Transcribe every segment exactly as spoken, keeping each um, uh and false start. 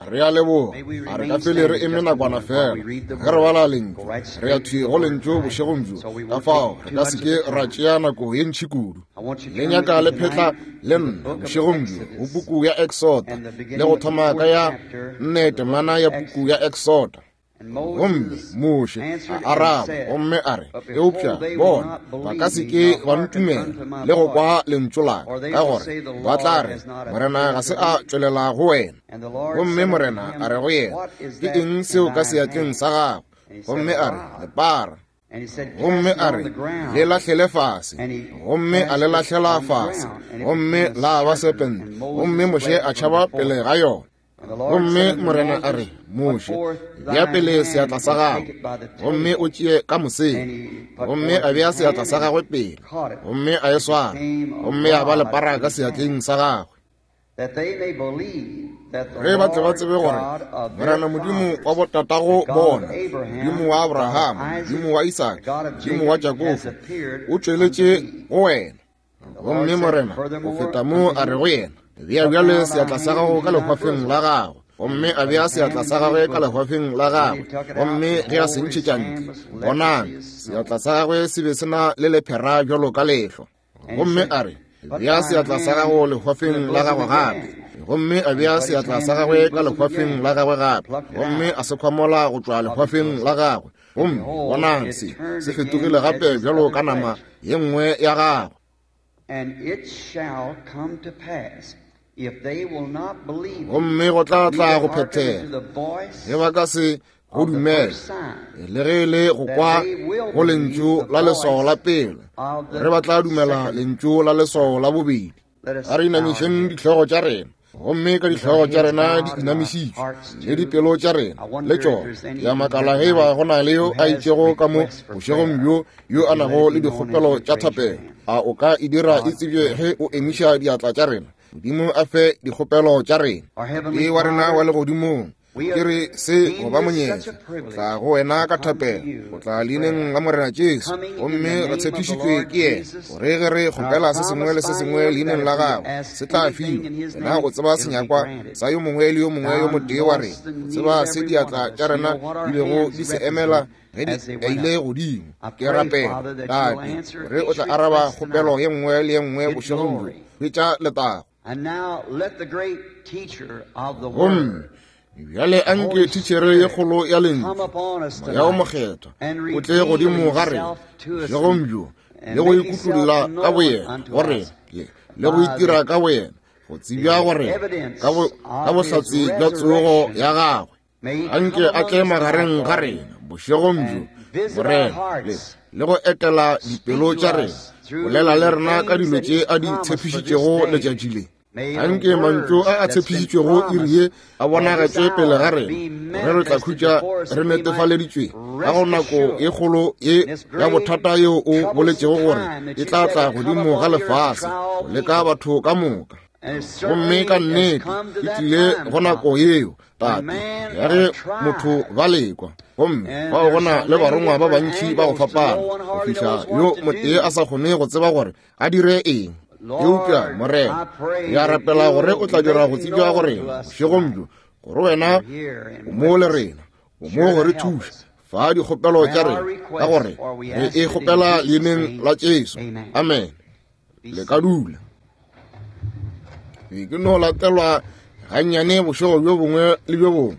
Re a leboga. A re ka fele re eme nakwana fela ge re bala lentšu. Re ya thwi go lentšu bošegong bjo, ka fao re ka se ke ra tšea nako ye ntši kudu. Le nyaka le phetla le nna bošegong bjo go puku ya Exoda, le go thoma ka ya nne temana ya puku ya Exoda. Gomme Moshe a araba gomme a re, eupša bona ba ka se ke ba ntumela le go kwa lentšu la ka, ka gore ba tla re, Morena ga se a tšwelela go wena. Gomme Morena a re go yena, ke eng seo ka seatleng sa gago? Gomme a re, lepara. Gomme a re, le lahlele fase. Gomme a le lahlela fase, gomme la ba serpente. Gomme Moshe a tšhaba pele ga yona. Gomme Morena a re, Moshe, bea pele seatla sa gago, gomme o tšee ka mosela. Gomme a bea seatla sa gagwe pele, gomme a e swara, gomme a ba lepara ka seatleng sa gagwe. Ge ba tle ba tsebe gore Morena Modimo wa botatago bona, Modimo wa Abraham, Modimo wa Isaka, Modimo wa Jakobo, o tšweletše go wena. Gomme Morena o feta mo a re go yena, bea bjale seatla sa gago ka lehwafeng la gago. Gomme a bea seatla sa gagwe ka lehwafeng la gagwe, gomme ge a se ntšhetša ntle, bonang, seatla sa gagwe se be se na le lephera bjalo ka lehlo. Gomme a re, bea seatla sa gago lehwafeng la gago gape. Gomme a bea seatla sa gagwe ka lehwafeng la gagwe gape, gomme a se khwamola go tšwa lehwafeng la gagwe. Gomme bonang, se se fetogile gape bjalo ka nama ye nngwe ya gagwe. And it shall come to pass, if they will not believe, gomme go tla tla go phethega, ge ba ka se go dumela, le ge le go kwa go lentšu la leswao la pele, re ba tla dumela lentšu la leswao la bobedi. A re inamišeng dihlogo tša rena, gomme ka dihlogo tša rena di inamišitšwe, le dipelo tša rena le tšona. Ke a makala ge ba go na le yo a itšego ka mo bošegong bjo yo a nago le dikgopelo tša thapelo. A o ka e dira e tsebje ge o emiša diatla tša rena? Modimo a fe dikgopelo tša rena. Ke wa rena wa legodimong, ke re se go ba monyetla tla go wena ka thapelo, go tla leineng la Morena Jesu, gomme re tshepišitšwe ke yena gore ge re kgopela se sengwe le se sengwe leineng la gagwe se tla fiwa. Yena o tseba senyakwa sa yo mongwe le yo mongwe yo motee wa rena, o tseba se diatla tša rena di bego di se emela ge di ile godimo. Ke rapela, Tate, gore o tla araba kgopelo ye nngwe le ye nngwe bošegong bjo. Hwetša letago. Gomme bjale anke thitšhere ye kgolo ya lentšu, Moya o Mokgethwa, o tle godimo ga rena bošegong bjo, le go ikutulla ka boyena go rena, le go itira ka boyena go tsebja go rena ka bohlatse bja tsogo ya gagwe. Anke a tle magareng ga rena bošegong bjo, Morena, le le go etela dipelo tša rena, bolela le rena ka dilo tše a di tshepišitšego letšatši le. Anke mantšu a a tshepišitšwego iri ye a bonagetšwe pele ga rena, gore re tla khutša re netefaleditšwe ka go nako ye kgolo ye ya bothata yeo o boletšego gore e tla tla godimo ga lefase go leka batho ka moka. Gomme ka nnete e tlile go nako yeo, Tate, ya ge motho ba lekwa, gomme fao go na le barongwa ba bantši ba go fapana, go fihla yo motee a sa kgone go tseba gore a dire eng. Eupša Morena, ke a rapela gore o tla dira go tsebja go rena bošegong bjo, gore wena o mo le rena, o mo go re thuša fa dikgopelo tša rena, ka gore re e kgopela leineng la Jesu. Amen. Le ka dula. Ke no latelwa gannyane bošego bjo bongwe le bjo bongwe,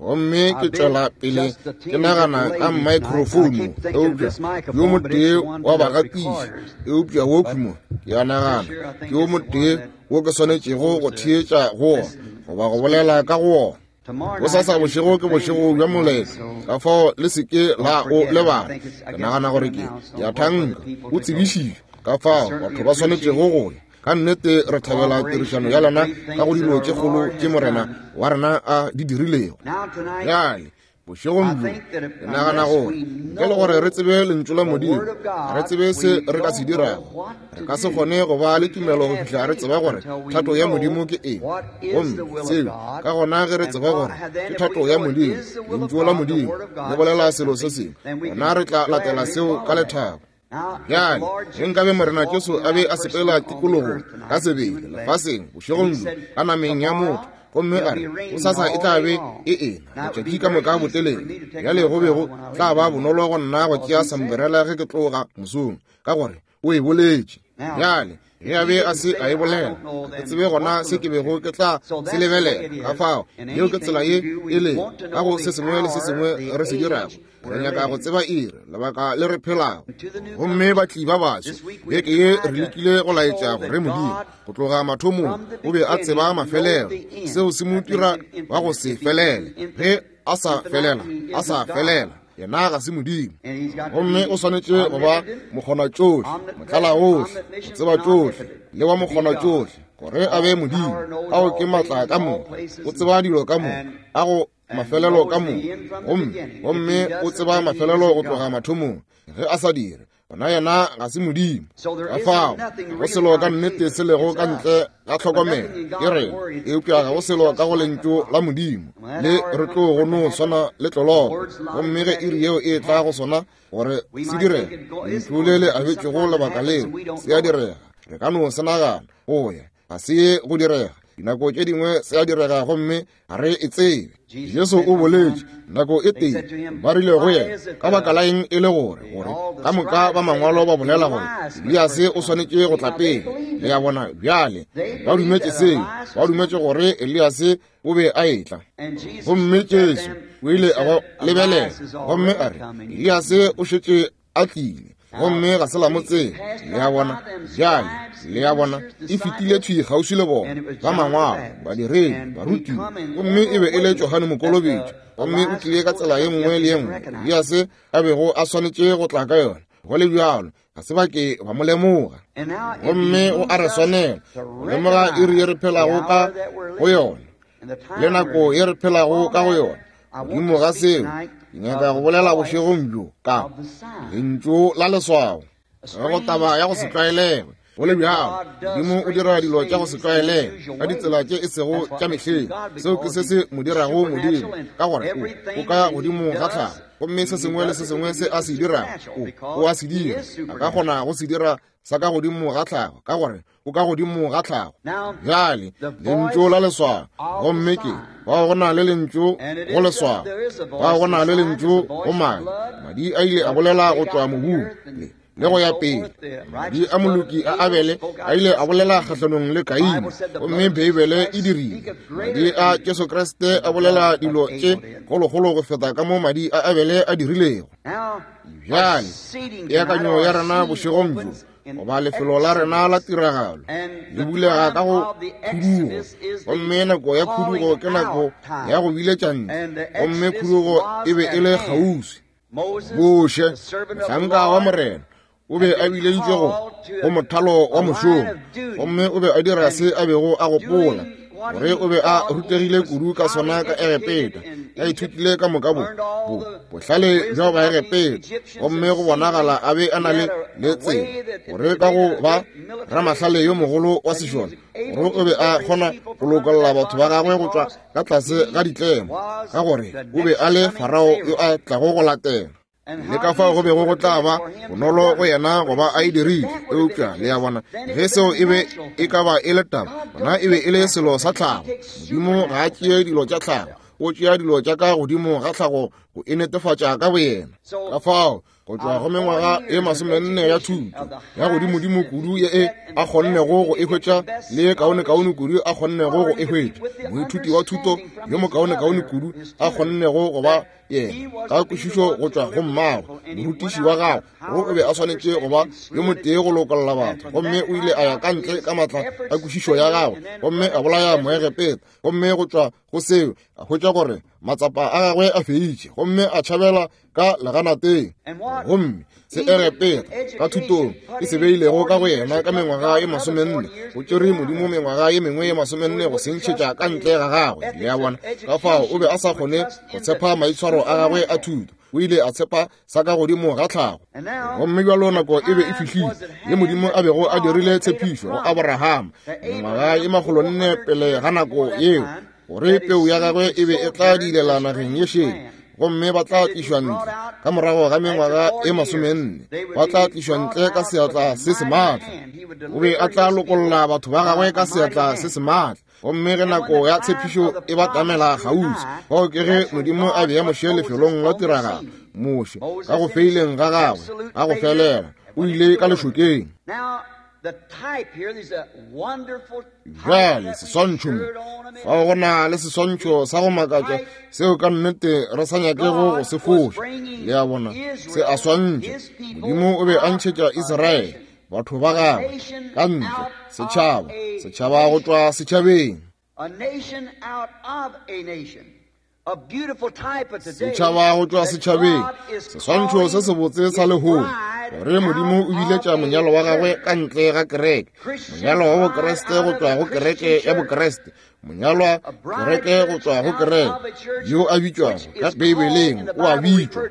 gomme ke tšwela pele ke nagana ka microphone, eupša yo motee wa bagatiši, eupša wo khumo ke a nagana ke yo motee wo ke swanetšego go theetša go wona goba go bolela ka go wona. Bosasa bošego ke bošego bja moletlo, ka fao le se ke la o lebala. Ke nagana gore ke ya thanka o tsebišitšwe, ka fao batho ba swanetšego go ya. Ka nnete re thabela tirišano ya lena ka go dilo tše kgolo tše Morena wa rena a di dirilego. Bjale bošegong bjo ke nagana gore ntle le gore re tsebe lentšu la Modimo, re tsebe se re ka se dirago, re ka se kgone go ba le tumelo go fihla re tseba gore thato ya Modimo ke eng. Gomme seo ka gona ge re tseba gore ke thato ya Modimo, lentšu la Modimo le bolela selo se sengwe, gona re tla latela seo ka lethabo. Bjale ge nkabe Morena Jesu a be a sepela tikologong ka sebele lefaseng bošegong bjo ka nameng ya motho, Gomme a re gosasa e tla be e ena letšatši ka moka botelele. Bjale go be go tla ba bonolo go nna go tšea sambrela ge ke tloga mosong, ka gore o e boletše. Bjale ge a be a se a e bolela, ke tsebe gona se ke bego ke tla se lebelela. Ka fao yeo ke tsela ye e le ka go se sengwe le se sengwe re se dirago. Re nyaka go tseba iri, lebaka le re phelago. Gomme batli ba baso beke ye re lekile go laetša gore Modimo go tloga mathomong o be a tseba mafelelo. Seo se mo dira wa go se felele. Ge a sa felela, a sa felela, yena ga se Modimo. Gomme o swanetše go ba mokgona tšohle, motlala ohle, go tseba tšohle, le wa mokgona tšohle, gore a be Modimo. Ao ke matla ka moka, o tseba dilo ka moka, a go mafelelo ka moka, gomme gomme o tseba mafelelo go tloga mathomong. Ge a sa dire, gona yena ga se Modimo. Ka fao go selo ka nnete se lego ka ntle ga tlhokomelo ke rena, eupša ga go selo ka go lentšu la Modimo le re tlo go no swana le tloloko. Gomme ge iri yeo e tla go sona gore se direge, lentšu le le abetšwego lebaka leo se a direga. Re ka no se nagana go ya ga se ye go direga. Dinako tše dingwe se a direga gomme ga re e tsebe. Jesu o boletše nako e tee, ba rile go yena, ka baka la eng e le gore gore ka moka ba mangwalo ba bolela gore Eliase o swanetše go tla pele. Le a bona bjale, ba dumetše seo, ba dumetše gore Eliase o be a etla. Gomme Jesu o ile a ba lebelela gomme a re, Eliase o šetše a tlile, gomme ga se la mo tseba. Le a bona bjale, le a bona e fetile thwi kgauswi le bona ba mangwalo, badiredi, barutiwa, gomme e be e le Johane Mokolobetši. Gomme o tlile ka tsela ye nngwe le ye nngwe Eliase a bego a swanetše go tla ka yona. Go le bjalo ga se ba ke ba mo lemoga. Gomme o a re swanela go lemoga iri ye re phelago ka go yona le nako ye re phelago ka go yona. Godimo ga seo ke nyaka go bolela bošegong bjo ka lentšu la leswao, go taba ya go se tlwaelege. Go le bjalo Modimo o dira dilo tša go se tlwaelege ka ditsela tše e sego tša mehleng. Seo ke se se mo dirago Modimo, ka gore o ka godimo ga tlhago, gomme se sengwe le se sengwe se a se dirago o a se dira. A ka kgona go se dira sa ka godimo ga tlhago, ka gore o ka godimo ga tlhago. Bjale lentšu la leswao, gomme ke bao go na le lentšu go leswao, bao go na le lentšu go madi. Madi a ile a bolela go tšwa mobung le le go ya pele. Madi a moloki a Abele a ile a bolela kgahlanong le Kaine, gomme Beibele e dirile. Madi a Jesu Kriste a bolela dilo tše kgolokgolo go feta ka mo madi a Abele a dirilego. Bjale peakanyo ya rena bošegong bjo, goba lefelo la rena la tiragalo, le bulega ka go khudugo, gomme nako ya khudugo ke nako ya go biletša ntle, gomme khudugo e be e le kgauswi. Moshe, mohlanka wa Morena, o be a bileditšwe go go mothalo wa mošomo, gomme o be a dira se a bego a gopola gore o be a rutegile kudu ka sona ka Egepeta, a ithutile ka moka bo bo bohlale bja Baegepeta, gomme go bonagala a be a na le le tsela gore ka go ba ramahlale yo mogolo wa sešole, gore o be a kgona go lokolla batho ba gagwe go tšwa ka tlase ga ditlemo, ka gore o be a le Farao yo a tlago go latela. Le ka fao go bego go tla ba bonolo go yena go ba a e dirile. Eupša le a bona, ge seo e be e ka ba e le taba, gona e be e le selo sa tlhago. Modimo ga a tšee dilo tša tlhago, o tšea dilo tša ka godimo ga tlhago go e netefatša ka boyena. Ka fao go tšwa go mengwaga e masomenne ya thuto ya godimodimo kudu ye e a kgonnego go e hwetša, le kaonekaone kudu a kgonnego go e hwetša, moithuti wa thuto yo mokaonekaone kudu a kgonnego go ba yena ka kwešišo go tšwa go mmagwe, morutiši wa gagwe, gore o be a swanetše go ba yo motee go lokolla batho. Gomme o ile a ya ka ntle ka matla a kwešišo ya gagwe, gomme a bolaya Moegepeta. Gomme go tšwa go seo a hwetša gore matsapa a gagwe a feitše, gomme a tšhabela ka leganateng. Gomme se Egepeta ka thutong e se beilego ka go yena ka mengwaga ye masomenne, go tšere Modimo mengwaga ye mengwe ye masomenne go se ntšhetša ka ntle ga gagwe. Le a bona, ka fao o be a sa kgone go tshepa maitshwaro a gagwe a thuto, o ile a tshepa sa ka godimo ga tlhago. Gomme bjalo nako e be e fihlile ye Modimo a bego a dirile tshepišo go Abrahama mengwaga ye makgolonne pele ga nako yeo, gore peu ya gagwe e be e tla dilela nageng ye šele, gomme ba tla tlišwa ntle ka morago ga mengwaga e masomenne, ba tla tlišwa ntle ka seatla se se maatla. O be a tla lokolla batho ba gagwe ka seatla se se maatla. Gomme ge nako ya tshepišo e batamela kgauswi, fao ke ge Modimo a bea Moshe lefelong la tiragalo. Moshe ka go feileng ga gagwe ga go felela o ile ka lešokeng. Bjale seswantšho mo, fao go na le seswantšho sa go makatša seo ka nnete re sa nyakego go se foša. Le a bona, se a swantšha. Modimo o be a ntšhetša Israele, batho ba gagwe, ka ntle, setšhaba, setšhaba go tšwa setšhabeng. Setšhaba go tšwa setšhabeng, seswantšho se sebotse sa lehono, gore Modimo o biletša monyalo wa gagwe ka ntle ga kereke, monyalo wa Bokreste go tšwa go kereke ya Bokreste, monyalwa kereke go tšwa go kereke, yo a bitšwago ka Beibeleng o a bitšwa.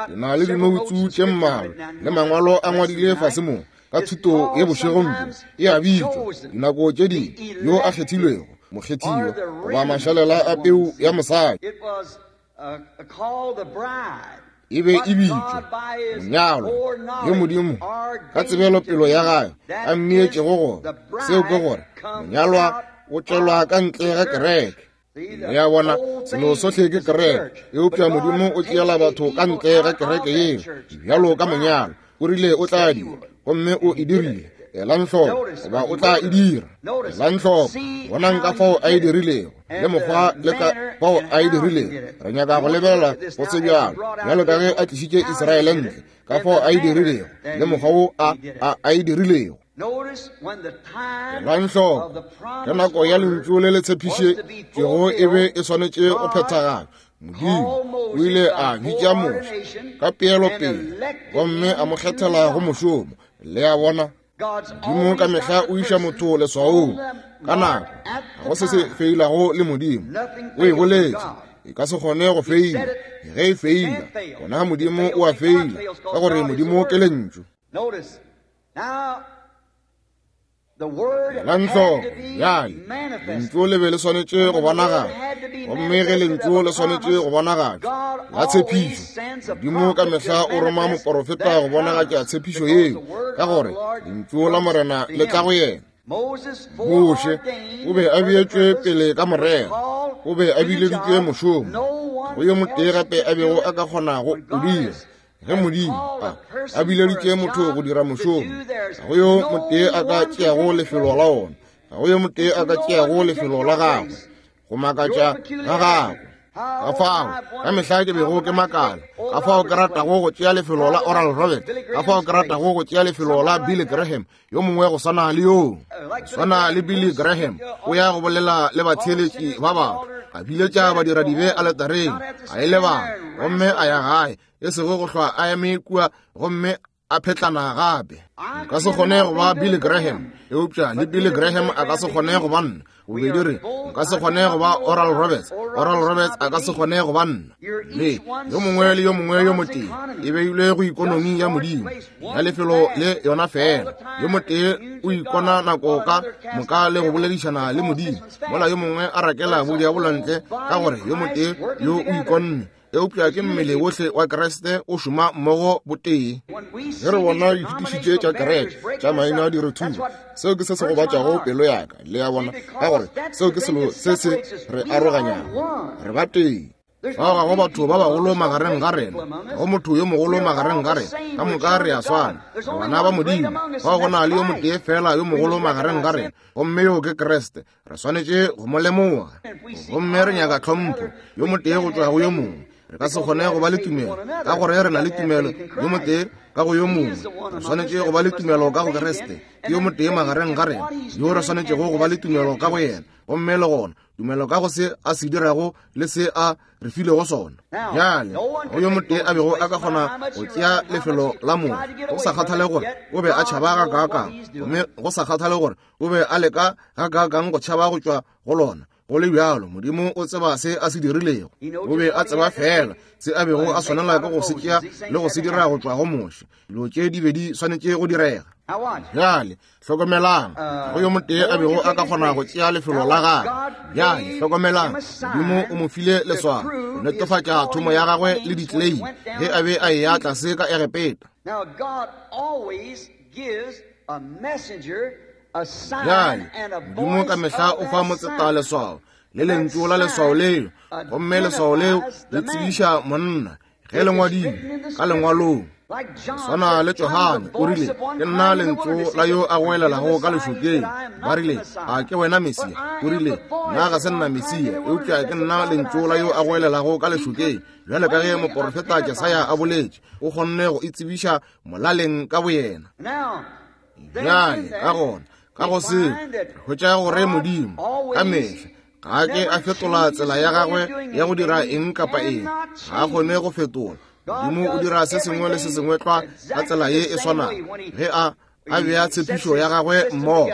Ke na le dinoutsu tše mmalwa le mangwalo a ngwadile fase mo ka thuto ye bošegong bjo. E a bitšwa dinako tše dingwe yo a kgethilwego, mokgethiwa, goba mašalela a peu ya mosadi. E be e bitšwa monyalwa yo Modimo ka tsebelopelo ya gagwe a mmeetšego gona. Seo ke gore monyalwa o tšwelwa ka ntle ga kereke. Le a bona, selo sohle ke kereke, eupša Modimo o tšeela batho ka ntle ga kereke yeo bjalo ka monyalwa. O rile o tla dira, gomme o e dirile. Elang hloko, goba o tla e dira. Elang hloko, bonang ka fao a e dirilego, le mokgwa le ka fao a e dirilego. Re nyaka go lebelela go se bjalo, bjalo ka ge a tlišitše Israele ntle, ka fao a e dirilego, le mokgwa wo a, a, a e dirilego. Elang hloko, ge nako ya lentšu le le tshepišitšwego e be e swanetše go phethagala, Modimo o ile a bitša Moshe ka peelopele gomme a mo kgethela go mošomo. Le a bona, Modimo ka mehla o iša motho leswaong ka nako. Ga go se se feilago le Modimo. O e boletše, e ka se kgone go feila. Ge e feila, gona Modimo o a feila, ka gore Modimo ke lentšu. Elang hloko, bjale lentšu le be le swanetše go bonagala, gomme ge lentšu le swanetše go bonagatšwa la tshepišo, Modimo ka mehla o roma moporofeta go bonagatša tshepišo yeo, ka gore lentšu la Morena le tla go yena. Moshe o be a beetšwe pele ka morero, o be a bileditšwe mošomo, go yo motee gape a bego a ka kgonago o dira. Ge Modimo a, a bileditše motho go dira mošomo, ga go yo motee a ka tšeago lefelo la ona, ga go yo motee a ka tšeago lefelo la gagwe, go makatša ga gagwe. Ka fao ka mehla ke bego ke makala, ka fao ke ratago go tšea lefelo la Oral Roberts, ka fao ke ratago go tšea lefelo la Billy Graham, yo mongwe go swana le yoo, swana le Billy Graham, o ya go bolela le batheeletši ba batho, a biletša badiradibe aletareng, a e lebala, gomme a ya gae, e sego go hlwa a eme kua gomme a phetlana gape. Nka se kgone go ba Billy Graham, eupša le Billy Graham a ka se kgone go ba nna. Bobedi re, nka se kgone go ba Oral Roberts, Oral Roberts a ka se kgone go ba nna. Le yo mongwe le yo mongwe yo motee e beilwe go ikonomi ya Modimo ya lefelo le yona fela. Yo motee o ikona nako ka moka le go boledišana le Modimo, mola yo mongwe a rakela bodiabolo ntle, ka gore yo motee yo o ikonne. Eupša ke mmele wohle wa Kriste o šoma mmogo botee. Ge re bona dithutiši tša kereke tša maina di re thuba, seo ke se se gobatšago pelo ya ka. Le a bona, ka gore seo ke selo se se re aroganyago. Re ba tee. Fao ga go batho ba bagolo magareng ga rena, ga go motho yo mogolo magareng ga rena, ka moka re a swana, re bana ba Modimo. Fao go na le yo motee fela yo mogolo magareng ga rena, gomme yo ke Kriste. Re swanetše go mo lemoga, gomme re nyaka tlhompho yo motee go tšwa go yo mongwe. Re ka se kgone go ba le tumelo ka gore re na le tumelo yo motee ka go yo mongwe. Re swanetše go ba le tumelo ka go Kriste, ke yo motee magareng ga rena yo re swanetšego go ba le tumelo ka go yena, gomme le gona tumelo ka go se a se dirago le se a re filego sona. Bjale go yo motee a bego a ka kgona go tšea lefelo la mongwe, go sa kgathale gore o be a tšhaba gakaakang, gomme go sa kgathale gore o be a leka gakaakang go tšhaba go tšwa go lona, go le bjalo Modimo o tseba se a se dirilego. O be a tseba fela se a bego a swanela ke go se tšea le go se dira go tšwa go Moshe. Dilo tše di be di swanetše go direga. Bjale hlokomelang, go yo motee a bego a ka kgona go tšea lefelo la gagwe. Bjale hlokomelang, Modimo o mo file leswao go netefatša thomo ya gagwe le ditlei ge a be a eya tlase ka Egepeta. Now God always gives a messenger Bjale Modimo ka mehla o fa motseta leswao le lentšu la leswao leo, gomme leswao leo le tsebiša monna ge le ngwadilwe ka lengwalong. Swana le Johane o rile, ke nna lentšu la yo a goelelago ka lešokeng. Ba rile, a ke wena Mesia? O rile, nna ga se nna Mesia, eupša ke nna lentšu la yo a goelelago ka lešokeng. Bjale ka ge moporofeta Jesaya a boletše, o kgonne go itsebiša molaleng ka boyena. Bjale ka gona, ka go se re hwetša gore Modimo ka mehla ga a ke a fetola tsela ya gagwe ya go dira eng kapa eng. Ga a kgone go fetola. Modimo o dira se sengwe le se sengwe tlwa ka tsela ye e swanago ge a a bea tshepišo ya gagwe mmogo.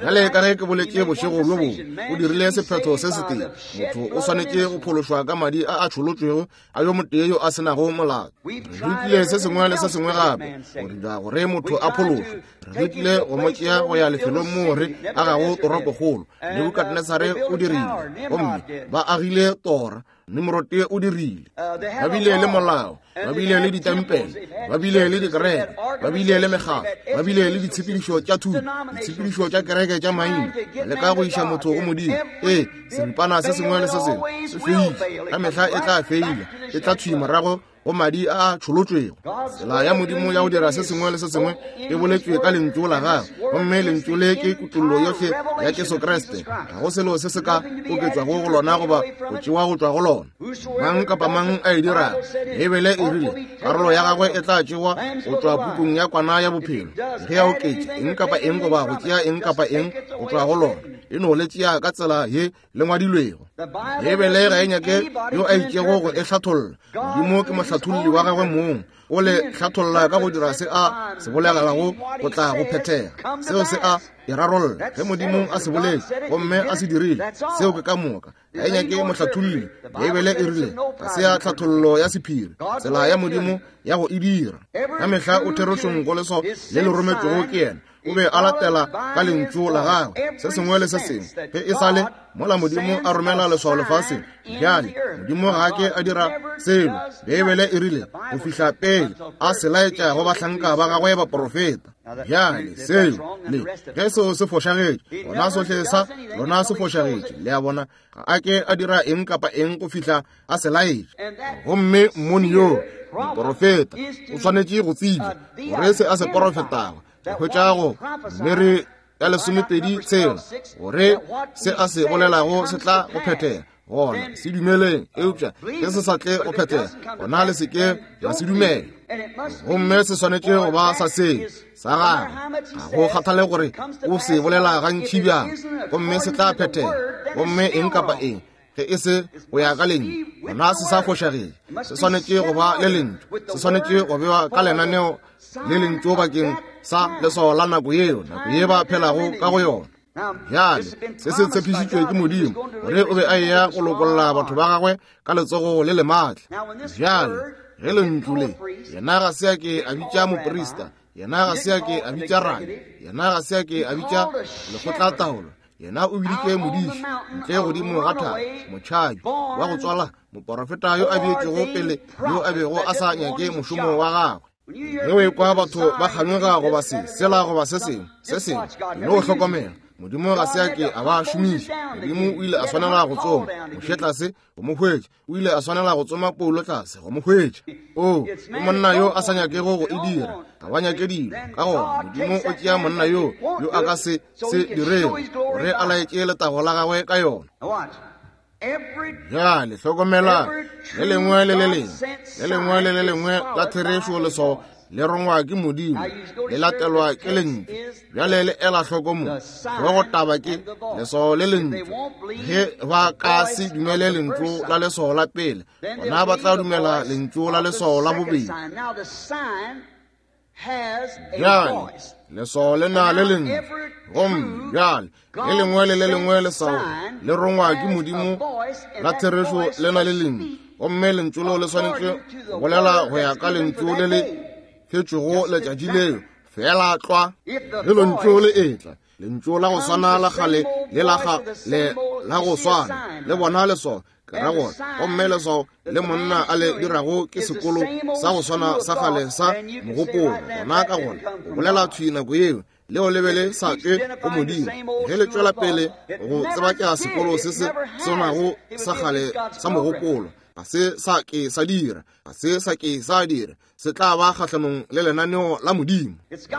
Bjale ka ge ke boletše bošego bjo bongwe, o dirile sephetho se setee. Motho o swanetše go phološwa ka madi a a tšholotšwego a yo motee yo a senago molato. Re lekile se sengwe le se sengwe gape go dira gore motho a phološwe. Re lekile go mo tšea go ya lefelong moo re agago toropokgolo. Nebukadnesare o dirile, gomme ba agile tora. Nimrote o dirile. Ba bile le molao, ba bile le ditempele, ba bile le dikereke, ba bile le mekgatlo, ba bile le ditshepedišo tša thuto, ditshepedišo tša kereke tša maina, ba leka go iša motho go Modimo. Ee, seripana se sengwe le se sengwe se feile, ka mehla e tla feila, e tla thwi morago go madi a a tšholotšwego. Tsela ya Modimo ya go dira se sengwe le se sengwe e boletšwe ka lentšu la gagwe, gomme lentšu le ke kutollo yohle ya Jesu Kriste. Ga go selo se se ka oketšwago go lona goba go tšewa go tšwa go lona. Mang kapa mang a e dirago, Beibele e rile karolo ya gagwe e tla tšewa go tšwa pukung ya kwana ya bophelo. Ge a oketša eng kapa eng goba go tšea eng kapa eng go tšwa go lona, e no le tšea ka tsela ye le ngwadilwego. Beibele ga e nyake yo a itšego go e hlatholla. Modimo ke mohlatholli wa gagwe mong, o le hlatholla ka go dira se a se bolelago go tla go phethega. Seo se a e rarolla ge Modimo a se boletše gomme a se dirile. Seo ke ka moka. Ga e nyake mohlatholli. Beibele e rile ga se ya tlhathollo ya sephiri, tsela ya Modimo ya go e dira. Ka mehla o therešong go leswao le le rometšwego ke yena. O be a latela ka lentšu la gagwe se sengwe le se sengwe ge e sa le mola Modimo a romela leswao lefaseng. Bjale Modimo ga a ke a dira selo, Beibele e rile go fihla pele a se laetša go bahlanka ba gagwe baporofeta. Bjale seo le ge seo se fošagetše, gona sohle sa lona se fošagetše. Le a bona, ga a ke a dira eng kapa eng go fihla a se laetša. Gomme mmoni yo moporofeta o swanetše go tseba gore se a se porofetago. Re hwetša go Numeri ya lesomepedi tshela gore se a se bolelago se tla go phethega. Gona se dumeleng, eupša ge se sa tle go phethega, gona le se ke la se dumela. Gomme se swanetše go ba sa seng sa gagwe. Ga go kgathale gore o se bolela gantši bjang, gomme se tla phethega. Gomme eng kapa eng ge e se go ya ka lentšu, gona se sa fošagetše. Se swanetše go ba le lentšu, se swanetše go bewa ka lenaneo le lentšu bakeng sa leswao la nako yeo, nako ye ba phelago ka go yona. Bjale se se tshepišitšwe ke Modimo gore o be a eya go lokolla batho ba gagwe ka letsogo le le maatla. Bjale ge lentšu le, yena ga se a ke a bitša moprista, yena ga se a ke a bitša rabi, yena ga se a ke a bitša lekgotlataolo, yena o biditše modiši ntle godimo ga thaba, motšhabi wa go tswala, moporofeta yo a beetšego pele, yo a bego a sa nyake mošomo wa gagwe. Ge o ekwa batho ba kganyoga goba se sela goba se sengwe se sengwe, no hlokomela, Modimo ga se a ke a ba šomiša. Modimo o ile a swanela go tsoma Moshe tlase go mo hwetša. O ile a swanela go tsoma Paulo tlase go mo hwetša. O ke monna yo a sa nyakego go e dira, ga ba nyake dilo. Ka gona Modimo o tšea monna yo yo a ka se se dirego gore a laetše letago la gagwe ka yona. Bjale hlokomela, le lengwe le le lengwe, le lengwe le le lengwe la therešo leswao le rongwa ke Modimo, le latelwa ke lentšu. Bjale le ela hloko mo, hlogo taba ke leswao le lentšu. Ge ba ka se dumele lentšu la leswao la pele, gona ba tla dumela lentšu la leswao la bobedi. Bjale leswao le na le lentšu, gomme bjale le lengwe le le lengwe leswao le rongwa ke Modimo la therešo le na le lentšu, gomme lentšu leo le swanetše go bolela go ya ka lentšu le le fetšwego letšatši leo. Fela tlwa ge lentšu le etla, lentšu la go swana la kgale le la le la go swana le bona leswao, ke ra gore, gomme leswao le monna a le dirago ke sekolo sa go swana sa kgale sa mogopolo. Gona ka gona o bolela thwi nako yeo Leo le be le sa tšwe go Modimo. Ge le tšwela pele go tseba sekolo se se swanago sa kgale sa mogopolo, ga se sa ke sa dira, ga se sa ke sa dira, se tla ba kgahlanong le lenaneo la Modimo.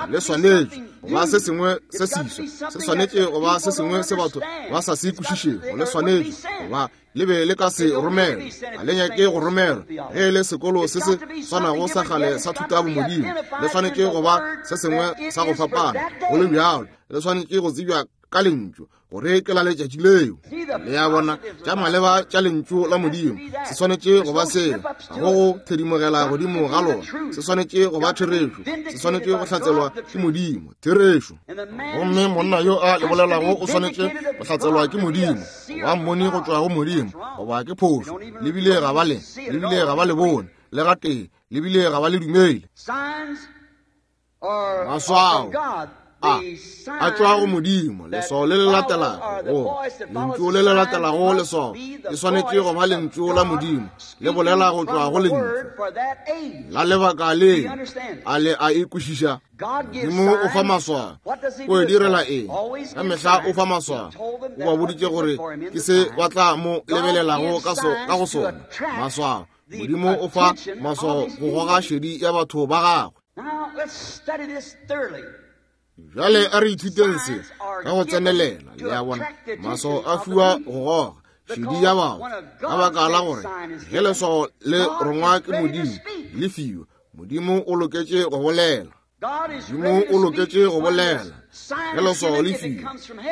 Le swanetše go ba se sengwe se seswa, se swanetše go ba se sengwe se batho ba sa se kwešišego. Le swanetše go ba le be le ka se romelwe, ga le nyake go romelwa. Ge e le sekolo se se swanago sa kgale sa thuto ya bomodimo, le swanetše go ba se sengwe sa go fapana. Go le bjalo, le swanetše go tsebja ka lentšu gore ke la letšatši leo. Le a bona, tša maleba tša lentšu la Modimo se swanetše go ba sela, ga go go thedimogela godimo ga lona. Se swanetše go ba therešo, se swanetše go hlatselwa ke Modimo, therešo. Gomme monna yo a le bolelago o swanetše go hlatselwa ke Modimo, goba mmoni go tšwa go Modimo, goba ke phošo. Le bile ga ba le, le bile ga ba le bone le gatee, le bile ga ba le dumele. Maswao a a tšwa go Modimo. Leswao le le latelago, go lentšu le le latelago leswao e swanetše go ba lentšu la Modimo le bolela go tšwa go lentšu la lebaka le. A le a e kwešiša? Modimo o fa maswao. O e direla eng? Ka mehla o fa maswao. O ba boditše gore ke se ba tla mo lebelelago ka go sona, maswao. Modimo o fa maswao go goga šedi ya batho ba gagwe. Bjale a re ithuteng se ka go tsenelela. Le a bona, maswao a fiwa go goga šedi ya batho, ka baka la gore ge leswao le rongwa ke Modimo le fiwa, Modimo o loketše go bolela. Modimo o loketše go bolela ge leswao le fiwa,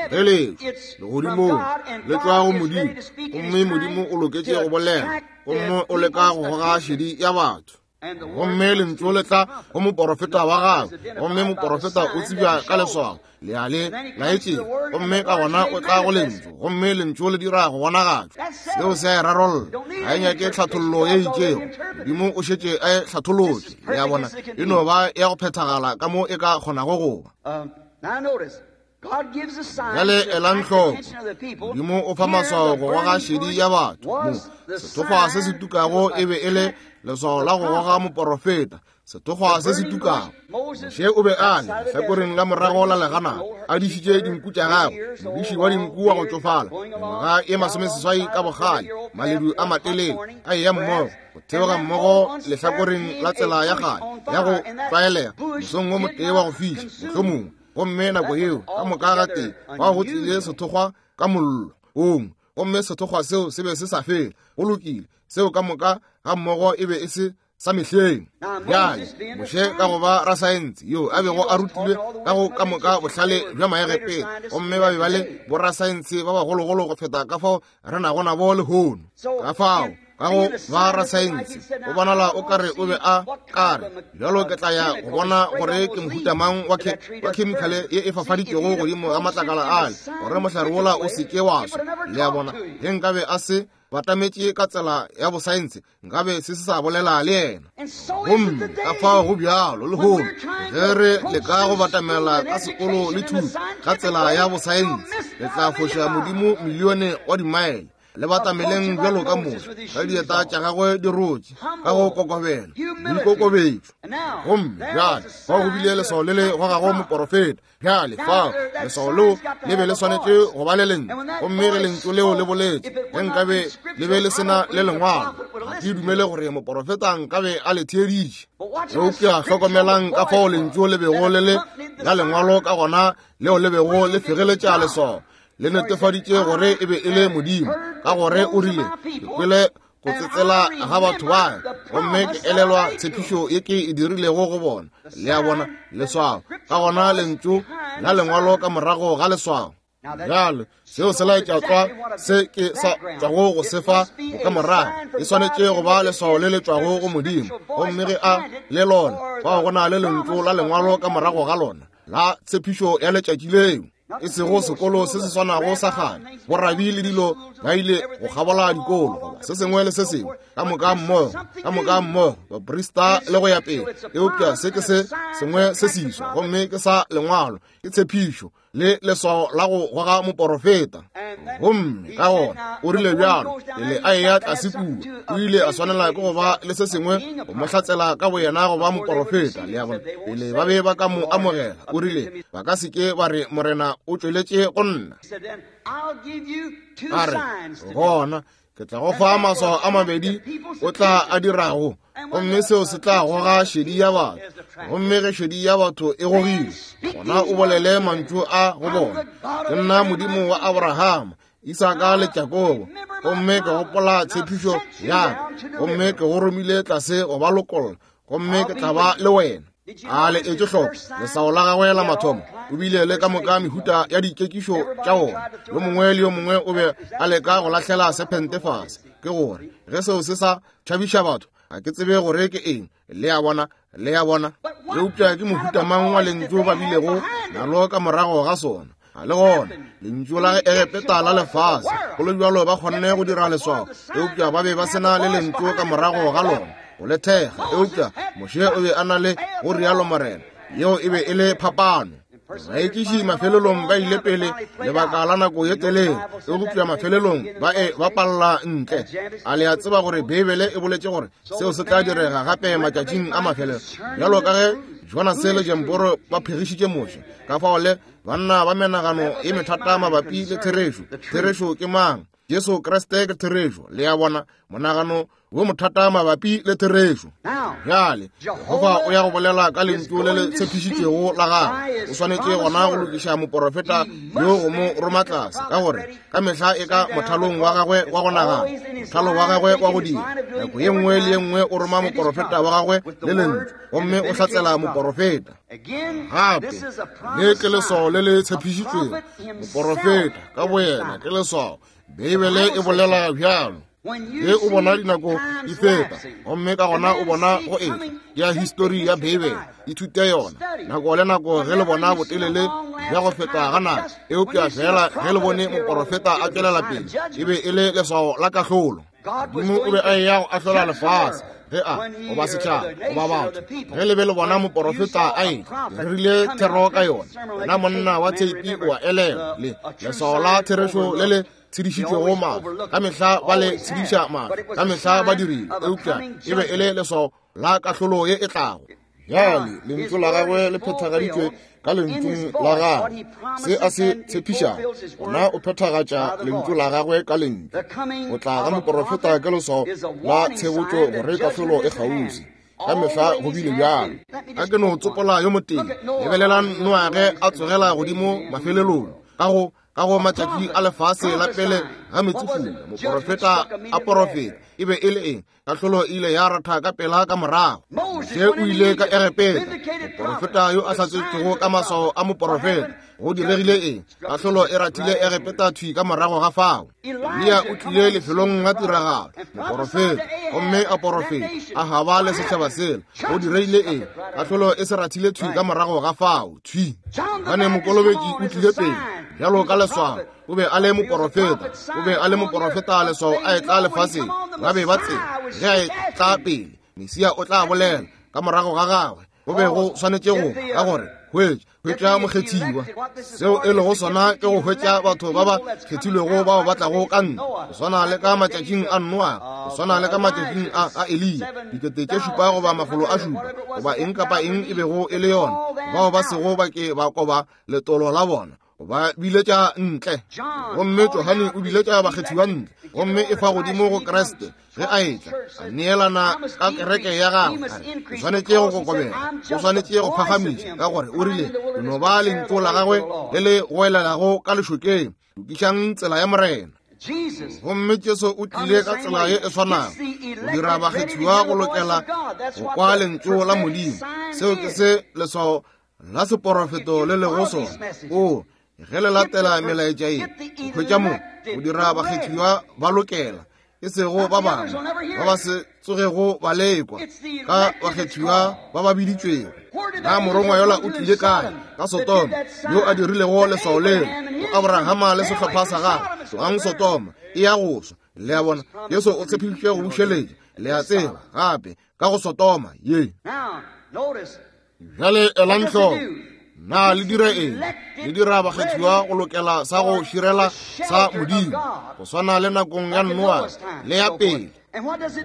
ge le legodimong le tšwa go Modimo, gomme Modimo o loketše go bolela, gomme o leka go goga šedi ya batho. Gomme lentšu le tla go moporofeta wa gagwe, gomme moporofeta o tsebja ka leswao le a le laetšeng, gomme ka gona o tla go lentšu, gomme lentšu le dira go bonagatšwa. Seo se a e rarolla, ga e nyake tlhathollo ye itšego. Modimo o šetše a e hlatholotše. Le a bona, e no ba ya go phethagala ka mo e ka kgonago go ba. Bjale elang hloko, Modimo o fa maswao go goga šedi ya batho. Mo sethokgwa se se tukago e be e le leswao la go goga moporofeta. Sethokgwa se se tukago, Moshe o be a le lehlakoreng la morago la legana, a dišitše dinku tša gagwe, modiši wa dinku wa go tšofala, mengwaga e masomeseswai ka bogale, maledu a matelele a eya mmogo go theoga mmogo lehlakoreng la tsela ya kgale ya go tlwaelega, mosong wo motee wa go fiša mohlomongwe. Gomme nako yeo ka moka ga tee bao go tlile sethokgwa ka mollo ong, gomme sethokgwa seo se be se sa fele. Go lokile, seo ka moka ga mmogo e be e se sa mehleng. Bjale Moshe ka go ba rasaense yo a bego a rutilwe ka go ka moka bohlale bja Maegepete, gomme ba be ba le borasaense ba bagologolo go feta ka fao re nago nabo lehono. Ka fao ka go ba rasaense o bonala o kare o be a kare bjalo ke tla ya go bona gore ke mohuta mang wa khemikhale ye e fafaditšwego godimo ga matlakala ale gore mohlare wola o se ke wa swa. Le a bona, ge nkabe a se batametše ka tsela ya bosaense, nkabe se se sa bolela le yena. Gomme ka fao go bjalo lehono, ge re leka go batamela ka sekolo le thuto ka tsela ya bosaense, re tla foša Modimo milione wa dimaele. Le batameleng bjalo ka Moshe, ka dieta tša gagwe di rotše, ka go kokobela, boikokobetšo. Gomme bjale fao go bile leswao le le gogago moporofeta. Bjale fao leswao leo le be le swanetše go ba le lentšu, gomme ge lentšu leo le boletše, ge nkabe le be le sena le lengwalo, ga ke dumele gore moporofeta nkabe a le theeditše. Eupša hlokomelang ka fao lentšu le bego le le la lengwalo ka gona, leo le bego le fegeletša leswao, le netefaditše gore e be e le Modimo, ka gore o rile, ke kwele go tsetsela ga batho ba, gomme ke elelwa tshepišo ye ke e dirilego go bona. Le a bona, leswao ka gona lentšu la lengwalo ka morago ga leswao. Bjale seo se laetša tlwa se ke sa tšwago go se fa bokamorago. E swanetše go ba leswao le le tšwago go Modimo, gomme ge a le lona, fao go na le lentšu la lengwalo ka morago ga lona la tshepišo ya letšatši leo. E sego sekolo se se swanago sa kgale, borabi le dilo ba ile go kgabola dikolo goba se sengwe le se sengwe, ka moka mmogo, ka moka mmogo, baprista le go ya pele. Eupša se ke se sengwe se seswa, gomme ke sa lengwalo, ke tshepišo. le leswao la go goga moporofeta. Gomme ka gona o rile bjalo pele a eya tlase kua, o ile a swanela ke go ba le se sengwe go mo hlatsela ka boyena go ba moporofeta. Le a bona, pele ba be ba ka mo amogela, o rile ba ka se ke ba re Morena o tšweletše go nna. A re gona ke tla go fa maswao a mabedi o tla a dirago, gomme seo se tla goga šedi ya batho. Gomme ge šedi ya batho e gogile, gona o bolele mantšu a go bona, ke nna Modimo wa Abrahama, Isaka le Jakobo, gomme ke gopola tshepišo ya ka, gomme ke go romile tlase go ba lokolla, gomme ke tla ba le wena. A le etše hloko leswao la gagwe la mathomo, o bile le ka moka mehuta ya dikekišo tša wona. Yo mongwe le yo mongwe o be a leka go lahlela sephente fase. Ke gore ge seo se sa tšhabiša batho, ga ke tsebe gore ke eng. Le a bona, le a bona. Eupša ke mohuta mang wa lentšu ba bilego nalo ka morago ga sona? A le gona lentšu la Egepeta la lefase, go le bjalo ba kgonne go dira leswao, eupša ba be ba sena le lentšu ka morago ga lona go le thekga. Eupša Moshe o be a na le go rialo Morena, yeo e be e le phapano. Baekiši mafelelong ba ile pele lebaka la nako ye telele, eupša mafelelong ba e ba palla ntle. A le a tseba gore Beibele e boletše gore seo se tla direga gape matšatšing a mafelelo, bjalo ka ge Jonase le Jamboro ba phegišitše Moshe. Ka fao le banna ba menagano e methata mabapi le therešo. Therešo ke mang? Jesu Kriste ke therešo. Le a bona, monagano wo mothata mabapi le therešo. Bjale Jehofa o ya go bolela ka lentšu le le tshepišitšwego la gagwe. O swanetše gona go lokiša moporofeta yo go mo roma tlase, ka gore ka mehla e ka mothalong wa gagwe wa go nagana, mothalo wa gagwe wa go dira. Nako ye nngwe le ye nngwe o roma moporofeta wa gagwe le lentšu, gomme o hlatsela moporofeta. Gape le ke leswao le le tshepišitšwego, moporofeta ka boyena ke leswao. Beibele e bolela bjalo. Ge o bona dinako di feta, gomme ka gona o bona go etla ya histori ya Beibele, ithute yona nako le nako ge le bona botelele bja go feta ga nako. Eupša fela ge le bone moporofeta a tšwelela pele, e be e le leswao la kahlolo. Modimo o be a eya go ahlola lefase ge a goba setšhaba goba batho. Ge le be le bona moporofeta a etla, re rile thero ka yona. Wena monna wa theipi o a elelwa le leswao la therešo le le tshedišitšwego mahlo. Ka mehla ba le tshediša mahlo, ka mehla ba dirile, eupša e be e le leswao la kahlolo ye e tlago. Bjale lentšu la gagwe le phethagaditšwe ka lentšung la gagwe. Se a se tshepišago, gona o phethagatša lentšu la gagwe ka lentšu. Go tla ga moporofeta ke leswao la tshebotšo gore kahlolo e kgauswi. Ka mehla go bile bjalo. A ke no tsopola yo motee. Lebelelang Noage a tsogela godimo mafelelong ka go ka go matšatši a lefase la pele ga metsefula, moporofeta a porofeta. E be e le eng? Kahlolo e ile ya ratha ka pela ka morago. Moshe o ile ka Egepeta, moporofeta yo a hlatsetšwego ka maswao a moporofeta. Go diregile eng? Kahlolo e rathile Egepeta thwi ka morago ga fao. Eliya o tlile lefelong la tiragalo, moporofeta, gomme a porofeta Ahaba le setšhaba sela. Go diregile eng? Kahlolo e se rathile thwi ka morago ga fao, thwi. Johane Mokolobetši o tlile pele bjalo ka leswao. O be a le moporofeta, o be a le moporofeta leswao a etla lefaseng. Ba be ba tseba ge a etla pele Mesia o tla bolela ka morago ga gagwe. Go be go swanetše go ka gore hwetša hwetša mokgethiwa. Seo e lego sona ke go hwetša batho ba ba kgethilwego bao ba tlago ka nna, go swana le ka matšatšing a Noa, go swana le ka matšatšing a a Eliya, dikete tše šupa goba makgolo a šupa, goba eng kapa eng e bego e le yona, bao ba sego ba ke ba koba letolo la bona, ba biletša ntle. Gomme Johane o biletša bakgethiwa ntle, gomme e fa godimo go Kriste ge a etla, a neelana ka kereke ya gagwe. O swanetše go kokobela, o swanetše go phagamiša, ka gore o rile ke no ba lentšu la gagwe le le goelelago ka lešokeng, lokišang tsela ya Morena. Gomme Jesu o tlile ka tsela ye e swanago, go dira bakgethiwa go lokela go kwa lentšu la Modimo. Seo ke se leswao la seporofeto le lego sona. O ge le latela melaetša ye, o hwetša mo go dira bakgethiwa ba lokela, e sego ba bangwe ba ba se tsogego ba lekwa, ka bakgethiwa ba ba biditšwego. Na morongwa yola o tlile kae? Ka Sotoma, yo a dirilego leswao leo go Abrahama le sehlopha sa gagwe. Tlogang Sotoma, e ya go swa. Le a bona, Jesu o tshepišitše go bušeletša, le a tseba, gape ka go Sotoma ye. Bjale elang hloko, Na le dira eng? Le dira bakgethiwa go lokela sa go širela sa Modimo, go swana le nakong ya Noa le ya pele.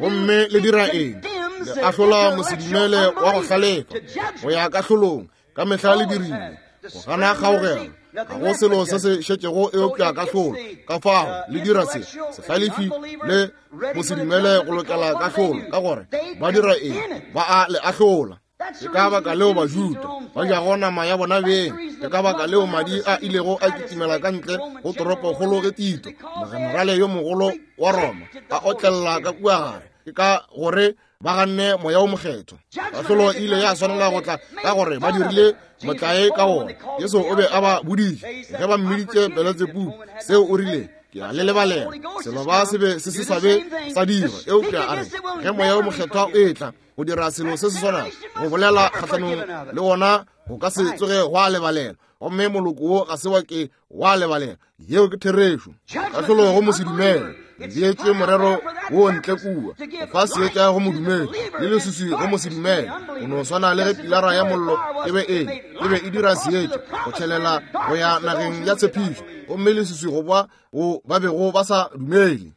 Gomme le dira eng? Le ahlola mosedumele wa go hlalefa go ya kahlolong. Ka mehla le dirile go gana kgaogelo. Ga go selo se se šetšego eupša kahlolo. Ka fao le dira se sehlalefi le mosedumele go lokela kahlolo, ka gore ba dira eng? Ba a le ahlola. Ke ka baka leo Bajuda ba jago nama ya bona beng. Ke ka baka leo madi a ilego a kitimela ka ntle go toropokgolo ge Tito, mogenerale yo mogolo wa Roma, a otlela ka kua gare. Ke ka gore ba ganne Moya o Mokgethwa. Kahlolo e ile ya swanela go tla ka gore ba dirile motlae ka wona. Jesu o be a ba boditše ge ba mmiditše Beletsebubu, seo o rile, ke a le lebalela. Selo ba se be se se sa be sa dirwa, eupša a re ge Moya o Mokgethwa o etla go dira selo se se swanago, go bolela kgahlanong le wona go ka se tsoge gwa lebalela. Gomme moloko wo ga se wa ke wa lebalela. Yeo ke therešo. Kahlolo go mosedumele beetšwe morero wo ntle kua, go fa seetša go modumedi le leswiswi go mosedumele. Go no swana le ge pilara ya mollo e be e e be e dira seetša go tšhelela go ya nageng ya tshepišo, gomme leswiswi go ba go ba bego ba sa dumele.